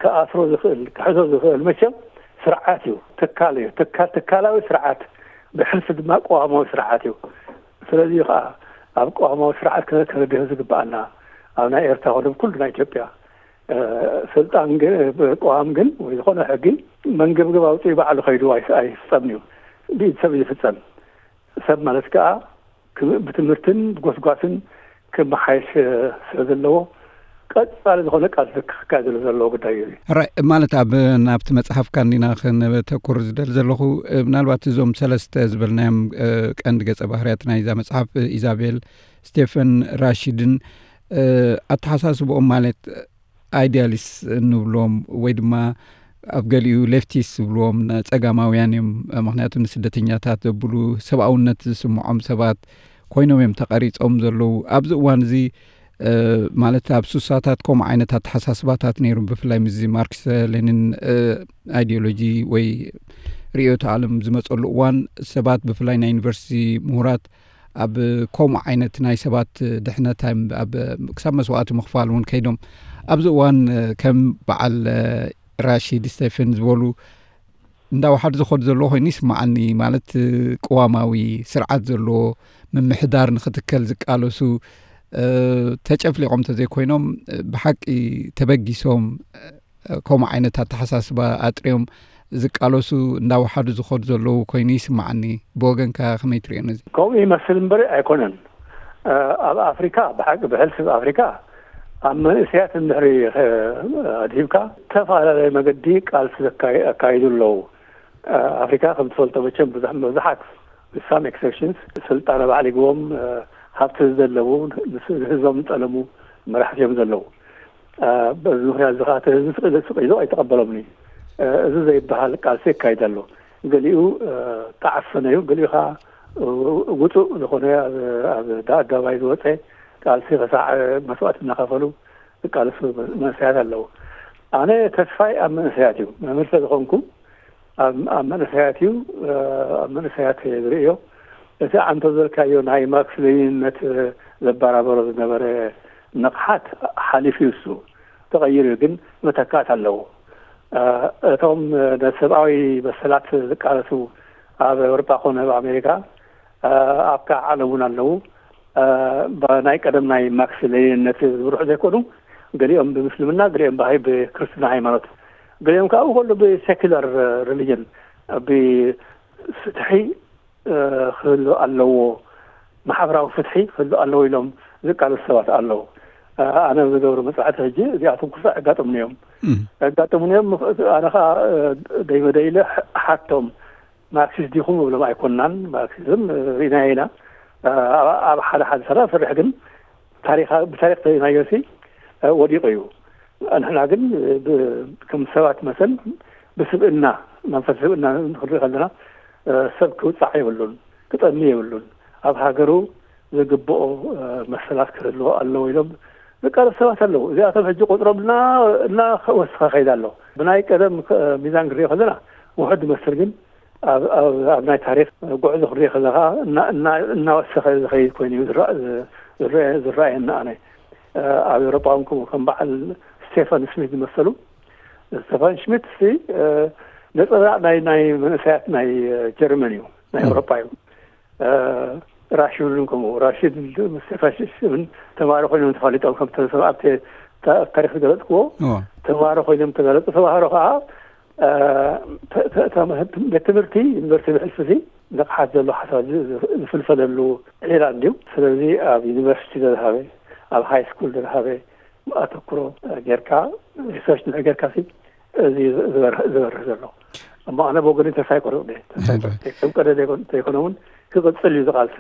ክኣስሮ ዝኽእል፣ ክሕዞ ዝኽእል መቸም ስርዓት እዩ፣ ትካል እዩ። ትካል፣ ትካላዊ ስርዓት፣ ብሕልፊ ድማ ቅዋማዊ ስርዓት እዩ። ስለዚ ከዓ ኣብ ቅዋማዊ ስርዓት ክነድህ ዝግባኣና፣ ኣብ ናይ ኤርትራ ኮነ ኩሉ ናይ ኢትዮጵያ ስልጣን ግን፣ ቅዋም ግን ወይ ዝኾነ ሕጊ መንገብገብ ኣውፅኡ ባዕሉ ከይዱ ኣይፍፀምን እዩ፣ ብኢድ ሰብ ዝፍፀም። ሰብ ማለት ከዓ ብትምህርትን ብጎስጓስን ክመሓየሽ ስለ ዘለዎ ቀፃሊ ዝኾነ ቃልሲ ክካየደሉ ዘለዎ ጉዳይ እዩ። ማለት ኣብ ናብቲ መፅሓፍካ እንዲና ክነተኩር ዝደል ዘለኹ፣ ምናልባት እዞም ሰለስተ ዝበልናዮም ቀንዲ ገፀ ባህርያት ናይዛ መፅሓፍ፣ ኢዛቤል፣ ስቴፈን፣ ራሺድን ኣተሓሳስብኦም ማለት ኣይዲያሊስት እንብሎም ወይ ድማ ኣብ ገሊኡ ሌፍቲስት ዝብልዎም ጸጋማውያን እዮም። ምክንያቱ ንስደተኛታት ዘብሉ ሰብኣውነት ዝስምዖም ሰባት ኮይኖም እዮም ተቐሪጾም ዘለዉ። ኣብዚ እዋን እዚ ማለት ኣብ ሱሳታት ከምኡ ዓይነት ኣተሓሳስባታት ነይሩ፣ ብፍላይ ምስዚ ማርክስ ሌኒን ኣይዲዮሎጂ ወይ ርእዮተ ዓለም ዝመጸሉ እዋን ሰባት ብፍላይ ናይ ዩኒቨርሲቲ ምሁራት ኣብ ከምኡ ዓይነት ናይ ሰባት ድሕነት ክሳብ መስዋእቲ ምኽፋል እውን ከይዶም ኣብዚ እዋን ከም በዓል ራሺድ ስቴፈን ዝበሉ እንዳወሓዱ ዝኸዱ ዘለዎ ኮይኑ ይስማዓኒ። ማለት ቅዋማዊ ስርዓት ዘለዎ ምምሕዳር ንክትከል ዝቃለሱ ተጨፍሊቖም ተዘይኮይኖም ብሓቂ ተበጊሶም ከምኡ ዓይነት ኣተሓሳስባ ኣጥርዮም ዝቃለሱ እንዳወሓዱ ዝኸዱ ዘለዉ ኮይኑ ይስማዓኒ። ብወገንካ ከመይ ትሪኦ ነዚ? ከምኡ ይመስል እምበር ኣይኮነን። ኣብ ኣፍሪካ ብሓቂ ብሕልፊ ኣብ ኣፍሪካ ኣብ መንእሰያት እንድሕሪ ኣድሂብካ ዝተፈላለየ መገዲ ቃልሲ ኣካይዱ ኣለዉ። ኣፍሪካ ከም ትፈልጦ መቸም ብዙሕ መብዛሓት with some exceptions ስልጣን ኣባዕሊግዎም ሃብቲ ዝደለቡ ንህዝቦም ዝጠለሙ መራሕቲ እዮም ዘለዉ። በዚ ምክንያት እዚ ከዓ እቲ ህዝቢ ስቕ ኢሉ ኣይተቐበሎምን እዩ። እዚ ዘይበሃል ቃልሲ ይካይድ ኣሎ። ገሊኡ ተዓፈነ እዩ፣ ገሊኡ ከዓ ውፁእ ዝኾነ ኣብ ኣደባባይ ዝወፀ ቃልሲ ክሳዕ መስዋእቲ እናኸፈሉ ዝቃለሱ መንእሰያት ኣለዉ። ኣነ ተስፋይ ኣብ መንእሰያት እዩ። መምህር ስለዝኾንኩ ኣብ መንእሰያት እዩ፣ ኣብ መንእሰያት ዝርእዮ። እቲ ኣንተ ዘልካዮ ናይ ማርክስ ሌኒንነት ዘበራበሮ ዝነበረ ንቕሓት ሓሊፉ እዩ፣ እሱ ተቐይሩ እዩ፣ ግን መተካእት ኣለዎ። እቶም ንሰብኣዊ መሰላት ዝቃለሱ ኣብ ኤውሮጳ ኮነ ኣብ ኣሜሪካ ኣብ ከዓ ዓለም እውን ኣለዉ። ናይ ቀደም ናይ ማርክስ ሌኒንነት ዝምርሑ ዘይኮኑ፣ ገሊኦም ብምስልምና፣ ገሊኦም ብሃይ ብክርስትና ሃይማኖት፣ ገሊኦም ከዓ ከሎ ብሴኩላር ሪሊጅን ብፍትሒ ክህሉ ኣለዎ፣ ማሕበራዊ ፍትሒ ክህሉ ኣለዎ ኢሎም ዝቃለሱ ሰባት ኣለዉ። ኣነ ዝገብሮ መፅናዕቲ ሕጂ እዚኣቶም ኩሉ ኣጋጥሙኒ እዮም። ኣጋጥሙኒ እዮም። ኣነ ከዓ ደይመደይ ኢለ ሓቶም። ማርክሲስት ዲኹም እብሎም ኣይኮንናን። ማርክሲዝም ርኢናዮ ኢና። ኣብ ሓደ ሓደ ሰባት ፍርሕ ግን ብታሪክ ተሪእናዮ ሲ ወዲቑ እዩ። ንሕና ግን ከም ሰባት መሰል ብስብእና፣ መንፈስ ስብእና ክንርኢ ከለና ሰብ ክውፃዕ የብሉን፣ ክጠሚ የብሉን። ኣብ ሃገሩ ዝግብኦ መሰላት ክህልዎ ኣለዎ ኢሎም ዝቃለሱ ሰባት ኣለዉ። እዚኣቶም ሕጂ ቁፅሮም እናወሰኸ ከይድ ኣሎ። ብናይ ቀደም ሚዛን ክንሪኦ ከለና ውሑድ ይመስል፣ ግን ኣብ ናይ ታሪክ ጉዕዞ ክንሪኦ ከለና እናወሰኸ ዝኸይድ ኮይኑ እዩ ዝረኣየኒ። ኣነ ኣብ ኤውሮጳ እውን ከምኡ ከም በዓል ስቴፋን ስሚት ዝመሰሉ፣ ስቴፋን ሽሚት ሲ ነፀብራቅ ናይ ናይ መንእሰያት ናይ ጀርመን እዩ፣ ናይ ኤውሮጳ እዩ። ራሽድን ከምኡ፣ ራሽድ ምስ ስቴፋን ሽሚት ተማሃሮ ኮይኖም ተፋሊጦም፣ ከምቲ ሰብ ኣብቲ ታሪክ ዝገለፅክዎ ተማሃሮ ኮይኖም ተጋለፁ። ተማሃሮ ከዓ ቤት ትምህርቲ ዩኒቨርሲቲ ብሕልፊ ንቕሓት ዘሎ ሓሳብ ዝፍልፈለሉ ዒላ እንድዩ። ስለዚ ኣብ ዩኒቨርሲቲ ዝረሃበ፣ ኣብ ሃይ ስኩል ዝረሃበ ኣተኩሮ ጌርካ፣ ሪሰርች ድሕሪ ጌርካ ሲ እዚ ዝበርህ ዘሎ። እሞ ኣነ ብወገነይ ተስፋ ይቆርጥ እየ። ተስፋ ይቆርጥ እየ። ከም ቀደም ዘይኮነ እውን ክቕፅል እዩ ዝቃልሲ።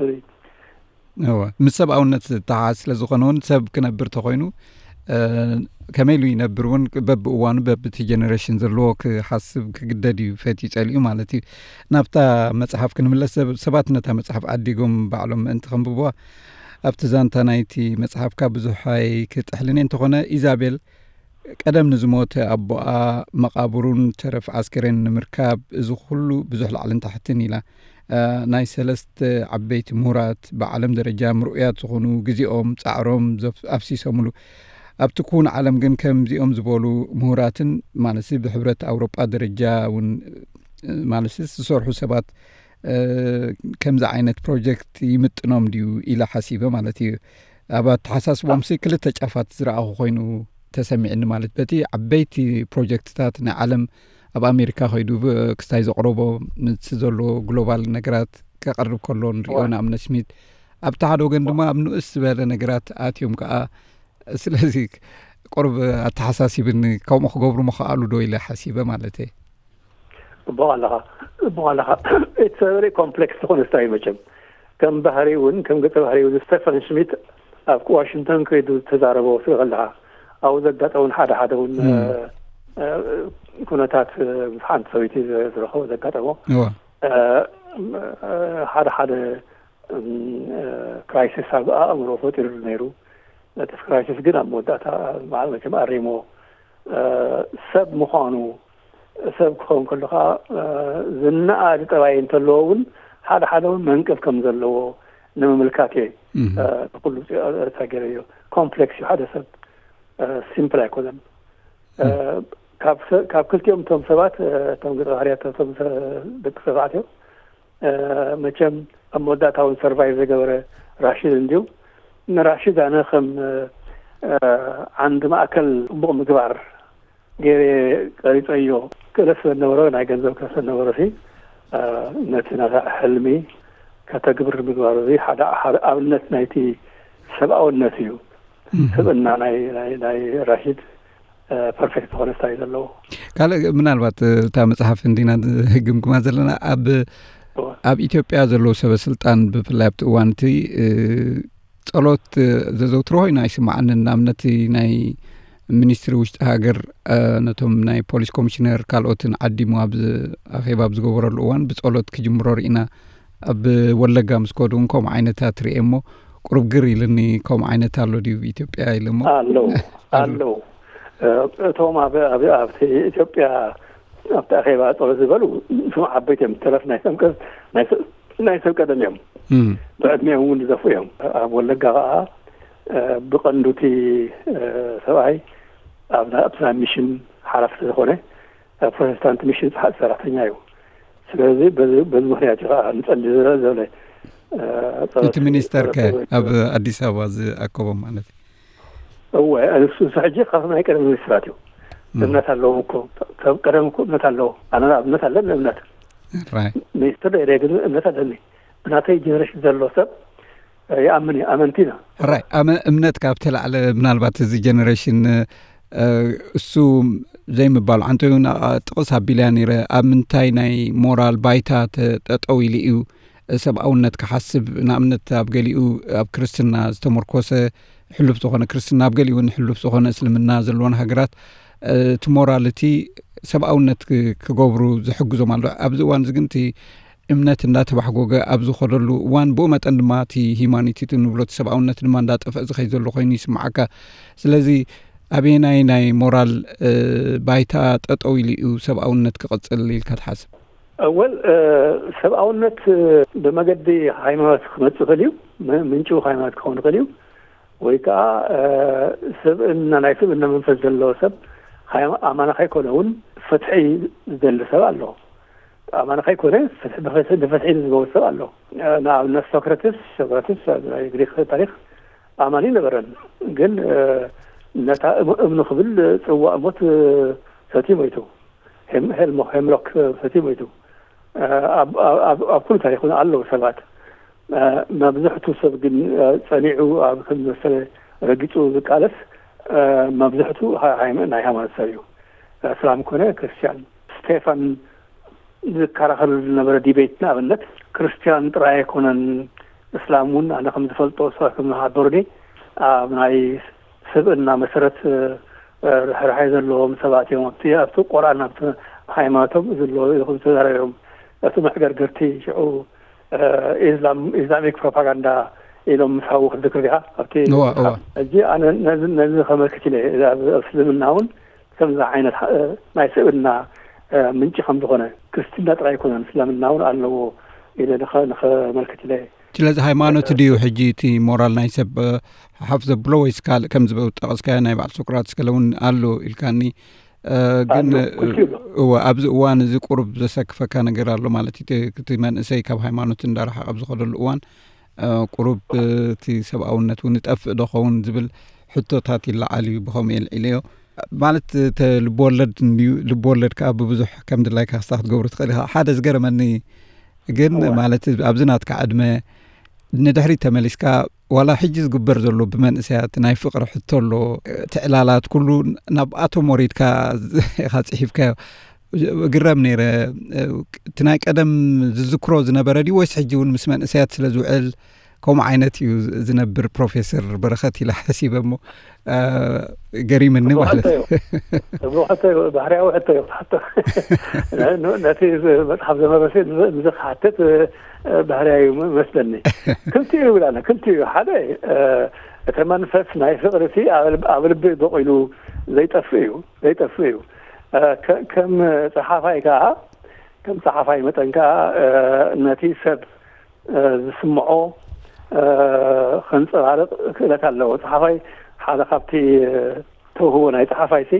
እወ፣ ምስ ሰብኣውነት ዝተሓዝ ስለ ዝኾነ እውን ሰብ ክነብር ተኾይኑ ከመይ ኢሉ ይነብር እውን በብእዋኑ በብቲ ጀነሬሽን ዘለዎ ክሓስብ ክግደድ እዩ፣ ፈትዩ ጸሊኡ ማለት እዩ። ናብታ መጽሓፍ ክንምለስ፣ ሰባት ነታ መጽሓፍ ዓዲጎም ባዕሎም ምእንቲ ከንብብዋ ኣብቲ ዛንታ ናይቲ መጽሓፍካ ብዙሕ ኣይክጥሕልን እየ። እንተኾነ ኢዛቤል ቀደም ንዝሞተ ኣቦኣ መቓብሩን ተረፍ ዓስከሬን ንምርካብ እዚ ኩሉ ብዙሕ ላዕልን ታሕትን ኢላ። ናይ ሰለስተ ዓበይቲ ምሁራት ብዓለም ደረጃ ምርኡያት ዝኾኑ ግዜኦም ጻዕሮም ኣፍሲሶምሉ ኣብቲ ክውን ዓለም ግን ከምዚኦም ዝበሉ ምሁራትን ማለት ብሕብረት ኣውሮጳ ደረጃ እውን ማለት ዝሰርሑ ሰባት ከምዚ ዓይነት ፕሮጀክት ይምጥኖም ድዩ ኢለ ሓሲበ ማለት እዩ። ኣብ ኣተሓሳስቦም ሲ ክልተ ጫፋት ዝረኣኹ ኮይኑ ተሰሚዕኒ ማለት በቲ ዓበይቲ ፕሮጀክትታት ናይ ዓለም ኣብ ኣሜሪካ ከይዱ ክስታይ ዘቕረቦ ምስ ዘሎ ግሎባል ነገራት ከቐርብ ከሎ ንሪኦ ንኣብነት ስሚት ኣብቲ ሓደ ወገን ድማ ኣብ ንኡስ ዝበለ ነገራት ኣትዮም ከዓ ስለዚ ቁርብ ኣተሓሳሲብኒ ከምኡ ክገብሩ ምኽኣሉ ዶ ኢለ ሓሲበ ማለት እየ። እቦ ኣለኻ እቦ ኣለኻ እቲ ሰበሪ ኮምፕሌክስ ዝኾነ ስታይ መቸም ከም ባህሪ እውን ከም ገጸ ባህሪ እውን ስቴፈን ሽሚት ኣብ ዋሽንግተን ከይዱ ተዛረቦ ስለ ከለኻ ኣብኡ ዘጋጠሙን ሓደ ሓደ እውን ኩነታት ምስ ሓንቲ ሰበይቲ ዝረኸቦ ዘጋጠሞ ሓደ ሓደ ክራይሲስ ኣብ ኣእምሮ ፈጢሩሉ ነይሩ። እቲ ክራይሲስ ግን ኣብ መወዳእታ መቸም ኣሪሞ ሰብ ምዃኑ ሰብ ክኸውን ከሎ ከዓ ዝነኣድ ጠባይ እንተለዎ እውን ሓደ ሓደ እውን መንቀፍ ከም ዘለዎ ንምምልካት እየ ንኩሉ ተገረዮ። ኮምፕሌክስ እዩ ሓደ ሰብ ሲምፕል ኣይኮነን። ካብ ክልቲኦም እቶም ሰባት እቶም ገፀ ባህርያት እቶም ደቂ ተባዕትዮ መቸም ኣብ መወዳእታ እውን ሰርቫይቭ ዝገበረ ራሽድ እንድዩ። ንራሽድ ኣነ ከም ዓንዲ ማእከል ፅቡቕ ምግባር ገይረ ቀሪፀዮ። ክእለት ስለዝነበሮ ናይ ገንዘብ ክእለት ስለዝነበሮ ሲ ነቲ ናታ ሕልሚ ከተግብር ምግባሩ እዚ ሓደ ሓደ ኣብነት ናይቲ ሰብኣውነት እዩ። ስብእና ናይ ናይ ናይ ራሽድ ፐርፌክት ዝኾነ ስታይ ዘለዎ። ካልእ ምናልባት እታ መጽሓፍ እንዲና ህግምግማ ዘለና ኣብ ኣብ ኢትዮጵያ ዘለዉ ሰበ ስልጣን ብፍላይ ኣብቲ እዋን እቲ ጸሎት ዘዘውትሮ ኮይኑ ኣይስምዓንን። ንኣብነት ናይ ሚኒስትሪ ውሽጢ ሃገር ነቶም ናይ ፖሊስ ኮሚሽነር ካልኦትን ዓዲሙ ኣብ ኣኼባ ኣብ ዝገበረሉ እዋን ብጸሎት ክጅምሮ ርኢና። ኣብ ወለጋ ምስ ከዱ እውን ከምኡ ዓይነታት ርኤ እሞ ቁሩብ ግር ኢልኒ። ከምኡ ዓይነት ኣሎ ድዩ ኢትዮጵያ ኢለ እሞ ኣለዉ ኣለዉ እቶም ኣብ ኣብቲ ኢትዮጵያ ኣብቲ ኣኼባ ጸሎት ዝበሉ እቶም ዓበይቲ እዮም። ተረፍ ናይ ሰብ ናይ ሰብ ቀደም እዮም። ብዕድሜኦም እውን ዝደፉ እዮም። ኣብ ወለጋ ከዓ ብቐንዱ እቲ ሰብኣይ ኣብቲ ናይ ሚሽን ሓላፊ ስለዝኾነ ፕሮቴስታንት ሚሽን ሰራሕተኛ እዩ። ስለዚ በዚ ምክንያት እዩ ከዓ ንፀሊ ዘለ እቲ ሚኒስተር ከ ኣብ ኣዲስ ኣበባ ዝኣከቦም ማለት እዩ። እወ እሱ ሕጂ ካብ ናይ ቀደም ሚኒስትራት እዩ። እምነት ኣለዎም እኮ ሰብ ቀደም እኮ እምነት ኣለዎ። ኣነ እምነት ኣለኒ እምነት ሚኒስትር ደ ግን እምነት ኣለኒ። ብናተይ ጀነሬሽን ዘሎ ሰብ ይኣምን እዩ። ኣመንቲ ኢና። ራይ እምነት ካብ ተላዕለ ምናልባት እዚ ጀነሬሽን እሱ ዘይምባሉ ዓንተ እውን ጥቕስ ኣቢልያ ነይረ። ኣብ ምንታይ ናይ ሞራል ባይታ ጠጠው ኢሉ እዩ ሰብኣውነት ክሓስብ? ንኣብነት ኣብ ገሊኡ ኣብ ክርስትና ዝተመርኮሰ ሕሉፍ ዝኾነ ክርስትና ኣብ ገሊኡ እውን ሕሉፍ ዝኾነ እስልምና ዘለወን ሃገራት እቲ ሞራል እቲ ሰብኣውነት ክገብሩ ዝሕግዞም ኣሎ። ኣብዚ እዋን እዚ ግን እቲ እምነት እንዳተባሕጎገ ኣብ ዝኸደሉ እዋን ብኡ መጠን ድማ እቲ ሂማኒቲ ንብሎ እቲ ሰብኣውነት ድማ እንዳጠፍአ ዝኸይ ዘሎ ኮይኑ ይስምዓካ። ስለዚ ኣበየናይ ናይ ሞራል ባይታ ጠጠው ኢሉ እዩ ሰብኣውነት ክቕፅል ኢልካ ትሓስብ? ወል ሰብኣውነት ብመገዲ ሃይማኖት ክመፅእ ይኽእል እዩ። ምንጭ ሃይማኖት ክኸውን ይኽእል እዩ። ወይ ከዓ ስብእና ናይ ስብእና መንፈስ ዘለዎ ሰብ ኣማና ከይኮነ እውን ፍትሒ ዝደሊ ሰብ ኣሎ። ኣማኒ ከይኮነ ንፍትሒ ዝገበሩ ሰብ ኣሎ። ንኣብነት ሶክራትስ ሶክራትስ ኣብ ናይ ግሪክ ታሪክ ኣማኒ ነበረን፣ ግን ነታ እምኑ ክብል ፅዋእ ሞት ሰትዩ ሞይቱ። ሄምሎክ ሰትዩ ሞይቱ። ኣብ ኩሉ ታሪክ እውን ኣለዉ ሰባት። መብዝሕቱ ሰብ ግን ፀኒዑ ኣብ ከም መሰለ ረጊፁ ዝቃለስ መብዝሕቱ ናይ ሃይማኖት ሰብ እዩ። እስላም ኮነ ክርስቲያን። ስቴፋን ዝከራኸርሉ ዝነበረ ዲቤት ንኣብነት ክርስቲያን ጥራይ ኣይኮነን እስላም እውን ኣነ ከም ዝፈልጦ ሰ ከም ዝሓበሩኒ ኣብ ናይ ስብእና መሰረት ርሕራሐ ዘለዎም ሰባት እዮም። ኣብቲ ኣብቲ ቁርኣን ኣብቲ ሃይማኖቶም ዘለዉ ኢኹም ተዛረቢኦም። እቲ መዕገርግርቲ ሽዑ ኢስላም ኢስላሚክ ፕሮፓጋንዳ ኢሎም ምስ ሃቡ ክትዝክር ዲኻ ኣብቲ ሕጂ ኣነ ነዚ ከመልክት ኢለ ኣብ እስልምና እውን ከምዚ ዓይነት ናይ ስብእና ምንጪ ከም ዝኾነ ክርስትና ጥራይ ኣይኮነን እስልምና እውን ኣለዎ ኢለ ንኸመልክት ኢለ። ስለዚ ሃይማኖት ድዩ ሕጂ እቲ ሞራል ናይ ሰብ ሓፍ ዘብሎ ወይስ ካልእ ከምዚ ጠቐስካዮ ናይ በዓል ሶቅራጥስ ገለ እውን ኣሎ ኢልካኒ ግን እወ ኣብዚ እዋን እዚ ቁሩብ ዘሰክፈካ ነገር ኣሎ ማለት እዩ እቲ መንእሰይ ካብ ሃይማኖት እንዳረሓቐ ኣብ ዝኸደሉ እዋን ቁሩብ እቲ ሰብኣውነት እውን ይጠፍእ ዶ ኸውን ዝብል ሕቶታት ይለዓል እዩ ብኸምኡ የልዒለዮ ማለት ልብወለድ እንድዩ ልብወለድ ከዓ ብብዙሕ ከም ድላይካ ክስታ ክትገብሩ ትኽእል ኢኻ ሓደ ዝገረመኒ ግን ማለት ኣብዚ ናትካ ዕድመ ንድሕሪት ተመሊስካ ዋላ ሕጂ ዝግበር ዘሎ ብመንእሰያት ናይ ፍቕሪ ሕቶ ኣሎ እቲ ዕላላት ኩሉ ናብኣቶም ወሪድካ ኢኻ ፅሒፍካዮ እግረም ነይረ እቲ ናይ ቀደም ዝዝክሮ ዝነበረ ድዩ ወይስ ሕጂ እውን ምስ መንእሰያት ስለ ዝውዕል ከምኡ ዓይነት እዩ ዝነብር ፕሮፌሰር በረኸት ኢላ ሓሲበ እሞ ገሪምኒ ማለት እዩ። ጽቡቕ ሕቶ እዩ። ባህርያዊ ሕቶ እዩ ክትሓቶ። ነቲ መጽሓፍ ዘመበሲ ንዚ ክሓትት ባህርያዊ መስለኒ። ክልቲኡ ይብላና፣ ክልቲኡ። ሓደ እቲ መንፈስ ናይ ፍቕሪ እቲ ኣብ ልቢ በቒሉ ዘይጠፍእ እዩ፣ ዘይጠፍእ እዩ። ከም ጸሓፋይ ከኣ፣ ከም ጸሓፋይ መጠን ከኣ ነቲ ሰብ ዝስምዖ ከንጸባርቕ ክእለት ኣለዎ። ጸሓፋይ ሓደ ካብቲ ተውህቦ ናይ ጸሓፋይሲ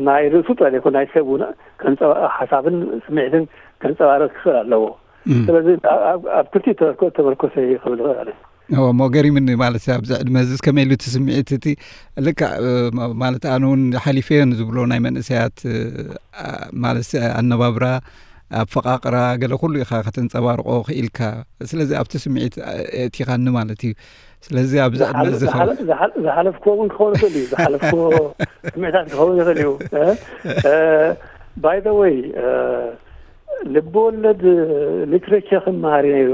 ናይ ርእሱ ጥራይ ዘይኮነ ናይ ሰብ እውን ሓሳብን ስምዒትን ከንጸባርቕ ክኽእል ኣለዎ። ስለዚ ኣብ ክልቲኡ ተመርኮሰ ክብል ይኽእል። እሞ ገሪምኒ ማለት ኣብዚ ዕድመ እዚ ከመይ ኢሉ እቲ ስምዒት እቲ ልክዕ ማለት ኣነ እውን ሓሊፈዮ ንዝብሎ ናይ መንእሰያት ማለት ኣነባብራ ኣፈቓቕራ ገለ ኩሉ ኢኻ ከተንጸባርቖ ክኢልካ ስለዚ ኣብቲ ስምዒት የእቲኻኒ ማለት እዩ ስለዚ ኣብዚ ዕድመ እዚ ዝሓለፍክዎ እውን ክኸውን ይኽእል እዩ ዝሓለፍክዎ ስምዒታት ክኸውን ይኽእል እዩ ባይ ዘ ወይ ልቢ ወለድ ሊትሬቸር ክመሃር ነይሩ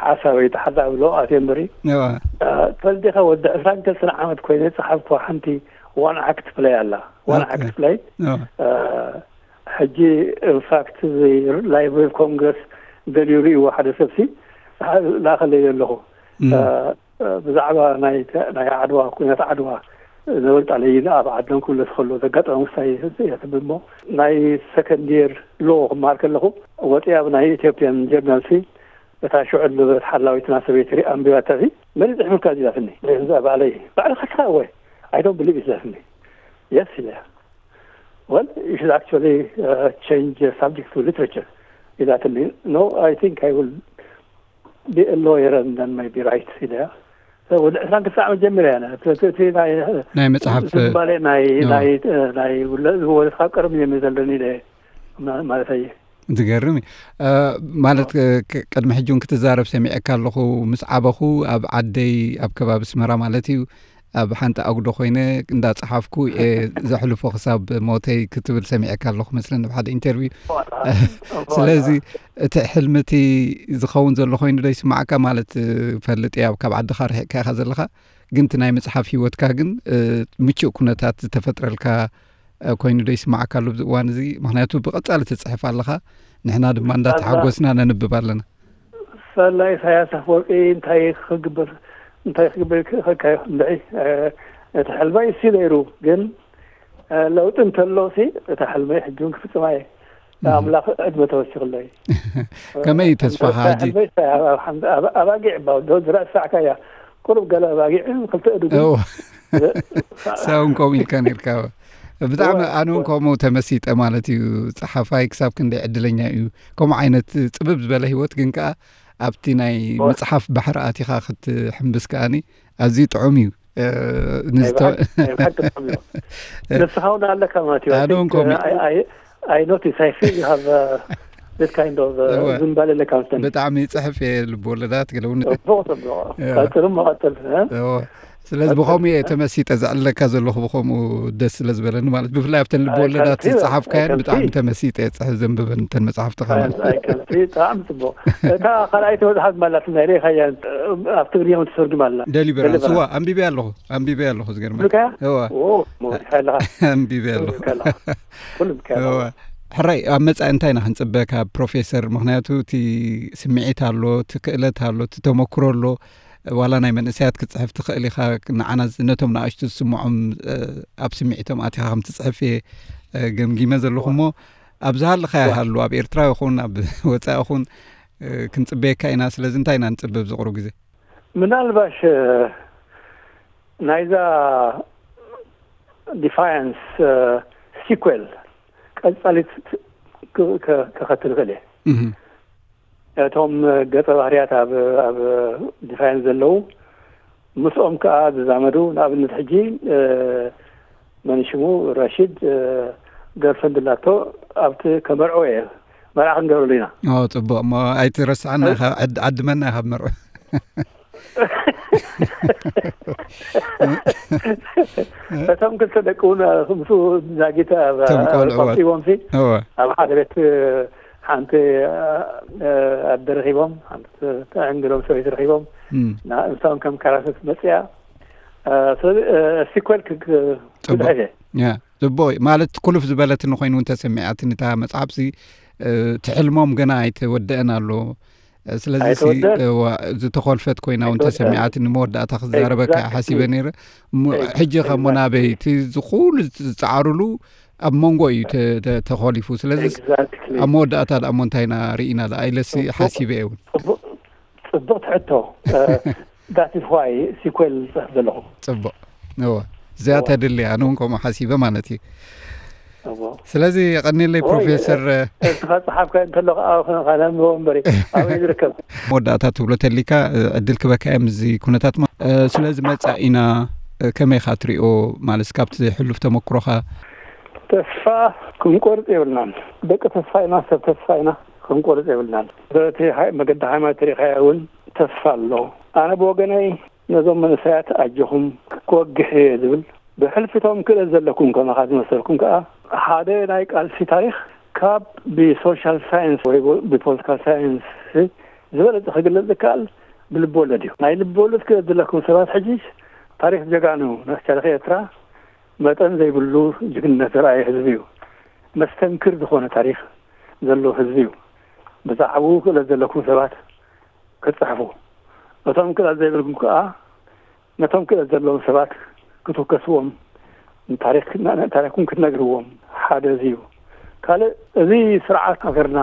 ሓሳበይ ተሓዛብሎ ኣትዮ እምበሪ ትፈልጥ ዲኻ ወዲ ዕስራን ክልተን ዓመት ኮይነ ዝጸሓፍኩዋ ሓንቲ ዋን ኣክት ፕለይ ኣላ ዋን ኣክት ፕለይ ሕጂ ኢንፋክት እዚ ላይብሪ ኦፍ ኮንግረስ ደልዩ ርእይዎ ሓደ ሰብሲ ላኸለይ ኣለኹ ብዛዕባ ናይ ዓድዋ ኩነት ዓድዋ ነበልጣለይን ኣብ ዓድን ኩለት ከሎ ዘጋጠመ ምስታይ እያ ትብል እሞ ናይ ሰከንድ የር ሎ ክመሃር ከለኹ ወፂኣ ብናይ ኢትዮጵያን ጀርናል ሲ እታ ሽዑ ዝነበረት ሓላዊትና ሰበይቲ ሪኣ ኣንቢባታ ሲ መን ይፅሕፍልካ እዚ ኢላትኒ እዛ ባዕለይ ባዕልኻ ኢኻ እወ I don't believe it ኢላትኒ yes ኢለ well you should actually uh, change the subject to literature ኢላትኒ no I think I will be a lawyer and then maybe write ኢለያ ወዲ ዕስራን ክልተ ዓመት ጀሚረ እያ እቲ ናይ መፅሓፍ ዝባሌ ናይ ናይ ናይ ዝወለድካ ቀርም ጀሚር ዘለኒ ኢለ ማለት እየ ዝገርም እዩ ማለት ቅድሚ ሕጂ እውን ክትዛረብ ሰሚዐካ ኣለኹ ምስ ዓበኹ ኣብ ዓደይ ኣብ ከባቢ ስመራ ማለት እዩ ኣብ ሓንቲ ኣጉዶ ኮይነ እንዳፀሓፍኩ እየ ዘሕልፎ ክሳብ ሞተይ ክትብል ሰሚዐካ ኣለኹ መስለኒ ኣብ ሓደ ኢንተርቪው ስለዚ እቲ ሕልሚ እቲ ዝኸውን ዘሎ ኮይኑ ዶ ይስማዓካ ማለት ፈልጥ እያ ካብ ዓድኻ ርሒቕካ ኢኻ ዘለኻ ግን እቲ ናይ ምፅሓፍ ሂወትካ ግን ምቹእ ኩነታት ዝተፈጥረልካ ኮይኑ ዶ ይስማዓካ ኣሎ ኣብዚ እዋን እዚ ምክንያቱ ብቐፃሊ ትፅሕፍ ኣለኻ ንሕና ድማ እንዳተሓጎስና ነንብብ ኣለና ሳላ ኢሳያስ ኣፈወርቂ እንታይ ክግበር እንታይ ክግበር ክኸካዮ እንድዒ እቲ ሕልመይ እሱ ነይሩ ግን ለውጢ እንተሎ ሲ እታ ሕልመይ ሕጂ እውን ክፍፅማ እየ ኣምላኽ ዕድመ ተወሲኽለይ ከመይ እዩ ተስፋኻ ሕጂ ኣባጊዕ ዝረእሳዕካ እያ ቁሩብ ገለ ኣባጊዕ ክልተ እድጉ ሰውን ከምኡ ኢልካ ነርካ ብጣዕሚ ኣነ እውን ከምኡ ተመሲጠ ማለት እዩ ፀሓፋይ ክሳብ ክንደይ ዕድለኛ እዩ ከምኡ ዓይነት ፅብብ ዝበለ ህይወት ግን ከዓ ኣብቲ ናይ መፅሓፍ ባሕሪ ኣቲኻ ክትሕምብስ ከኣኒ ኣዝዩ ጥዑም እዩ ንስኻ እውን ኣለካ ማለት እዩ ኣነ እውን ከምኡ I notice, I feel you have uh, this kind of uh, ዝንባሌ ኣለካ መስተኒ። ብጣዕሚ ይፅሕፍ እየ ልብወለዳት ገለ እውን። ፅቡቕ ፅቡቕ ቀፅል እሞ ቀፅል። ስለዚ ብኸምኡ እየ ተመሲጠ ዘዕልለካ ዘለኹ ብኸምኡ ደስ ስለ ዝበለኒ ማለት ብፍላይ ኣብተን ልብወለዳት ዝፀሓፍካየን ብጣዕሚ ተመሲጠ እየ ፅሕፍ ዘንብበን እተን መፅሓፍትኻ ማለት ብጣዕሚ ፅቡቕ እታ ካልኣይቲ መፅሓፍ ማላትና ርኢኻያ ኣብ ትግርኛ እውን ተተርጉማ ኣላ። ደሊቨራንስ። ደሊቨራንስ። እዋ፣ ኣንቢበ ኣለኹ፣ ኣንቢበ ኣለኹ፣ ዝገርመ። ብሉካ? እዋ። ኦ፣ ሞዲካ ኣለኻ። ኣንቢበ ኣለኹ። ብሉካ ኣለኻ። ኩሉ ብካ ኣለኻ። እዋ። ሕራይ፣ ኣብ መጻኢ እንታይ ኢና ክንጽበ ካብ ፕሮፌሰር? ምኽንያቱ እቲ ስምዒት ኣሎ፣ እቲ ክእለት ኣሎ፣ እቲ ተመክሮ ኣሎ። ዋላ ናይ መንእሰያት ክትጽሕፍ ትኽእል ኢኻ። ንዓና ዝ-፣ ነቶም ንኣሽቱ ዝስምዖም፣ እ፣ ኣብ ስምዒቶም ኣቲኻ ከም ትጽሕፍ እየ፣ እ፣ ገምጊመ ዘለኹ። እሞ ኣብ ዝሃለኻዮ ሃሉ፣ ኣብ ኤርትራ ይኹን ኣብ ወጻኢ ይኹን፣ እ፣ ክንጽበየካ ኢና። ስለዚ እንታይ ኢና ንጽበ ኣብዚ ቁሩብ ግዜ? ምናልባሽ፣ እ፣ ናይዛ ዲፋያንስ፣ እ፣ ሲኩዌል ቀጻሊት ክ-፣ ክ-፣ ክኸትል ይኽእል እየ። እህ። እቶም ገጸ ባህርያት ኣብ፣ ኣብ ዲፋያንስ ዘለዉ ምስኦም ከኣ ዝዛመዱ፣ ንኣብነት ሕጂ፣ እ፣ መን ሽሙ ረሺድ፣ እ፣ ገርልፍሬንድ ኣላቶ፣ ኣብቲ ከመርዕዎ እየ፣ መርዓ ክንገብረሉ ኢና። ኦ፣ ጽቡቕ። እሞ ኣይትረስዓና ኢኻ፣ ዕድ-፣ ዓድመና ኢኻ ብመርዑ። እቶም ክልተ ደቂ እውን ምስኡ ዛጊት ኣብ፣ እቶም ቆልዑ። ቆጢቦምሲ እወ። ኣብ ሓደ ቤት ሓንቲ፣ እ፣ ኣደ ረኺቦም፣ ሓንቲ ተዕንግሎም ሰበይቲ ረኺቦም፣ እም። ና-፣ ንሳውን ከም ካራክተር መጽያ። እ፣ ስለዚ፣ እ፣ ሲኮል ክ-፣ ክ-፣ ጽቡቕ። ክጽሕፍ እየ። ያ፣ ጽቡቕ እዩ። ማለት ኩልፍ ዝበለትኒ ኮይኑ እውን ተሰሚዓትኒ እታ መጽሓፍሲ፣ እ፣ ትሕልሞም ገና ኣይተወደአን ኣሎ። እ፣ ስለዚ ሲ-፣ ኣይተወደአን። እዋ፣ ዝተኾልፈት ኮይና እውን ኣይተወደአን። ተሰሚዓትኒ። መወዳእታ ክዛረበካ እየ Exactly። ሓሲበ ነይረ። እሞ Ex-፣ ሕጂ ኸሞ exactly። ናበይ እቲ ዝኹሉ ዝጻዓሩሉ ኣብ መንጎ እዩ ተ-፣ ተ-፣ ተኾሊፉ። ስለዚ Exactly። ኣብ መወዳእታ ደኣ እሞ እንታይ ኢና ርኢና ደኣ ኢለሲ ጽቡቕ። ሓሲበ እየ እውን። ጽቡቕ፣ ጽቡቕ ትሕቶ። እ፣ that is why ሲኮል ዝጽሕፍ ዘለኹ። ጽቡቕ። እወ። እዚኣ እወ። ተድሊ፣ ኣነ እውን ከምኡ ሓሲበ ማለት እዩ። እወ። ስለዚ የቐንየለይ ወይ፣ ፕሮፌሰር። እስኻ ጸሓፍካ እንተሎ ከኣ ከነንብቦ እምበሪ፣ ኣበይ ዝርከብ? መወዳእታ ትብሎ ተሊካ፣ እ፣ ዕድል ክበካ እየ ምስዚ ኩነታት ማ-፣ እ፣ ስለዚ መጻኢና፣ እ፣ ከመይ ኢኻ ትሪኦ? ማለት ካብቲ ሕሉፍ ተመክሮኻ። ተስፋ ክንቆርጽ የብልናን። ደቂ ተስፋ ኢና፣ ሰብ ተስፋ ኢና፣ ክንቆርጽ የብልናን። በቲ ሃይ-፣ መገዲ ሃይማኖት ተሪኻዮ እውን ተስፋ ኣሎ። ኣነ ብወገነይ ነዞም መንእሰያት ኣጆኹም ክወግሕ እየ ዝብል። ብሕልፊ እቶም ክእለት ዘለኩም ከማኻ ዝመሰልኩም ከኣ ሓደ ናይ ቃልሲ ታሪኽ ካብ ብሶሻል ሳይንስ ወይ ብፖለቲካል ሳይንስ ዝበለጸ ክግለጽ ዝከኣል ብልቢ ወለድ እዩ። ናይ ልቢ ወለድ ክእለት ዘለኩም ሰባት ሕጂ ታሪኽ ጀጋኑ ናይ ታሪኽ ኤርትራ መጠን ዘይብሉ ጅግንነት ዘርኣየ ህዝቢ እዩ። መስተንክር ዝኾነ ታሪኽ ዘለዎ ህዝቢ እዩ። ብዛዕባኡ ክእለት ዘለኩም ሰባት ክትጽሕፉ፣ እቶም ክእለት ዘይብልኩም ከኣ ነቶም ክእለት ዘለዎም ሰባት ክትውከስዎም፣ ታሪኽ፣ ታሪኽኩም ክትነግርዎም ሓደ እዚ እዩ። ካልእ፣ እዚ ስርዓት ሃገርና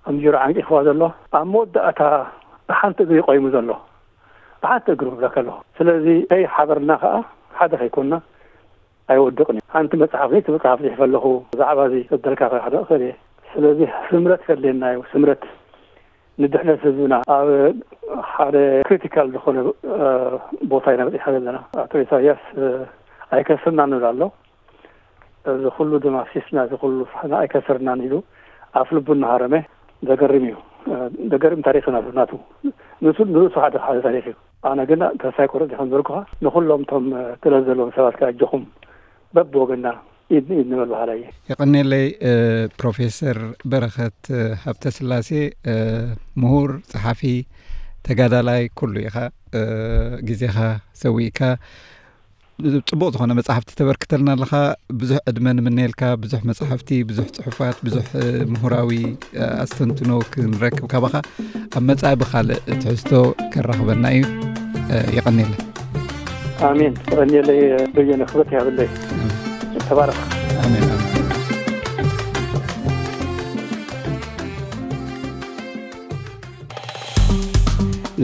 ከም ጅሮ ዓንቂፍዋ ዘሎ፣ ኣብ መወዳእታ ብሓንቲ እግሪ ቆይሙ ዘሎ፣ ብሓንቲ እግሩ እብለካ ኣለኹ። ስለዚ ከይሓበርና ከኣ ሓደ ከይኮንና ኣይወድቕን እዩ። ሓንቲ መጽሓፍ፣ ለይቲ መጽሓፍ ጽሒፈ ኣለኹ፣ ብዛዕባ እዚ ክበልካ ክሕደቕ እኽእል እየ። ስለዚ ስምረት ከድልየና እዩ፣ ስምረት። ንድሕነት ህዝብና ኣብ ሓደ ክሪቲካል ዝኾነ፣ እ፣ ቦታ ኢና በጺሕና ዘለና። ኣቶ ኢሳያስ፣ እ፣ ኣይከስርናን ንብል ኣሎ። እዚ ኩሉ ደማሲስና፣ እዚ ኩሉ ፍሕና ኣይከሰርናን ኢሉ ኣፍ ልቡ እናሃረመ ዘገርም እዩ። እ፣ ዘገርም ታሪኽ እዩ ናቱ። ንሱ ንርእሱ ሓደ ሓደ ታሪኽ እዩ። ኣነ ግን ተስፋ ኣይቆርጽ ከም ዝበልኩኻ፣ ንኹሎም እቶም፣ እ፣ ክእለት ዘለዎም ሰባት ከኣ ኣጆኹም በብወገንና ኢድ ንኢድ ንበል በሃላይ እየ። የቐንየለይ፣ እ፣ ፕሮፌሰር በረኸት፣ እ፣ ሃብተስላሴ፣ እ፣ ምሁር፣ ጸሓፊ፣ ተጋዳላይ ኩሉ ኢኻ። እ፣ ግዜኻ ሰዊእካ ጽቡቕ ዝኾነ መጻሕፍቲ ተበርክተልና ኣለኻ። ብዙሕ ዕድመ ንምነየልካ። ብዙሕ መጻሕፍቲ፣ ብዙሕ ጽሑፋት፣ ብዙሕ፣ እ፣ ምሁራዊ፣ እ፣ ኣስተንትኖ ክንረክብ ካባኻ። ኣብ መጻኢ ብኻልእ ትሕዝቶ ከራኽበና እዩ። እ፣ የቐንየለይ። ኣሜን። የቐንየለይ በየነ፣ ክብረት ይሃበለይ። ተባረኽ። ኣሜን፣ ኣሜን።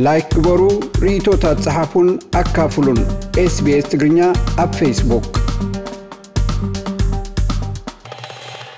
ላይክ ግበሩ፣ ርእይቶታት ጸሓፉን ኣካፍሉን። ኤስቢኤስ ትግርኛ ኣብ ፌስቡክ።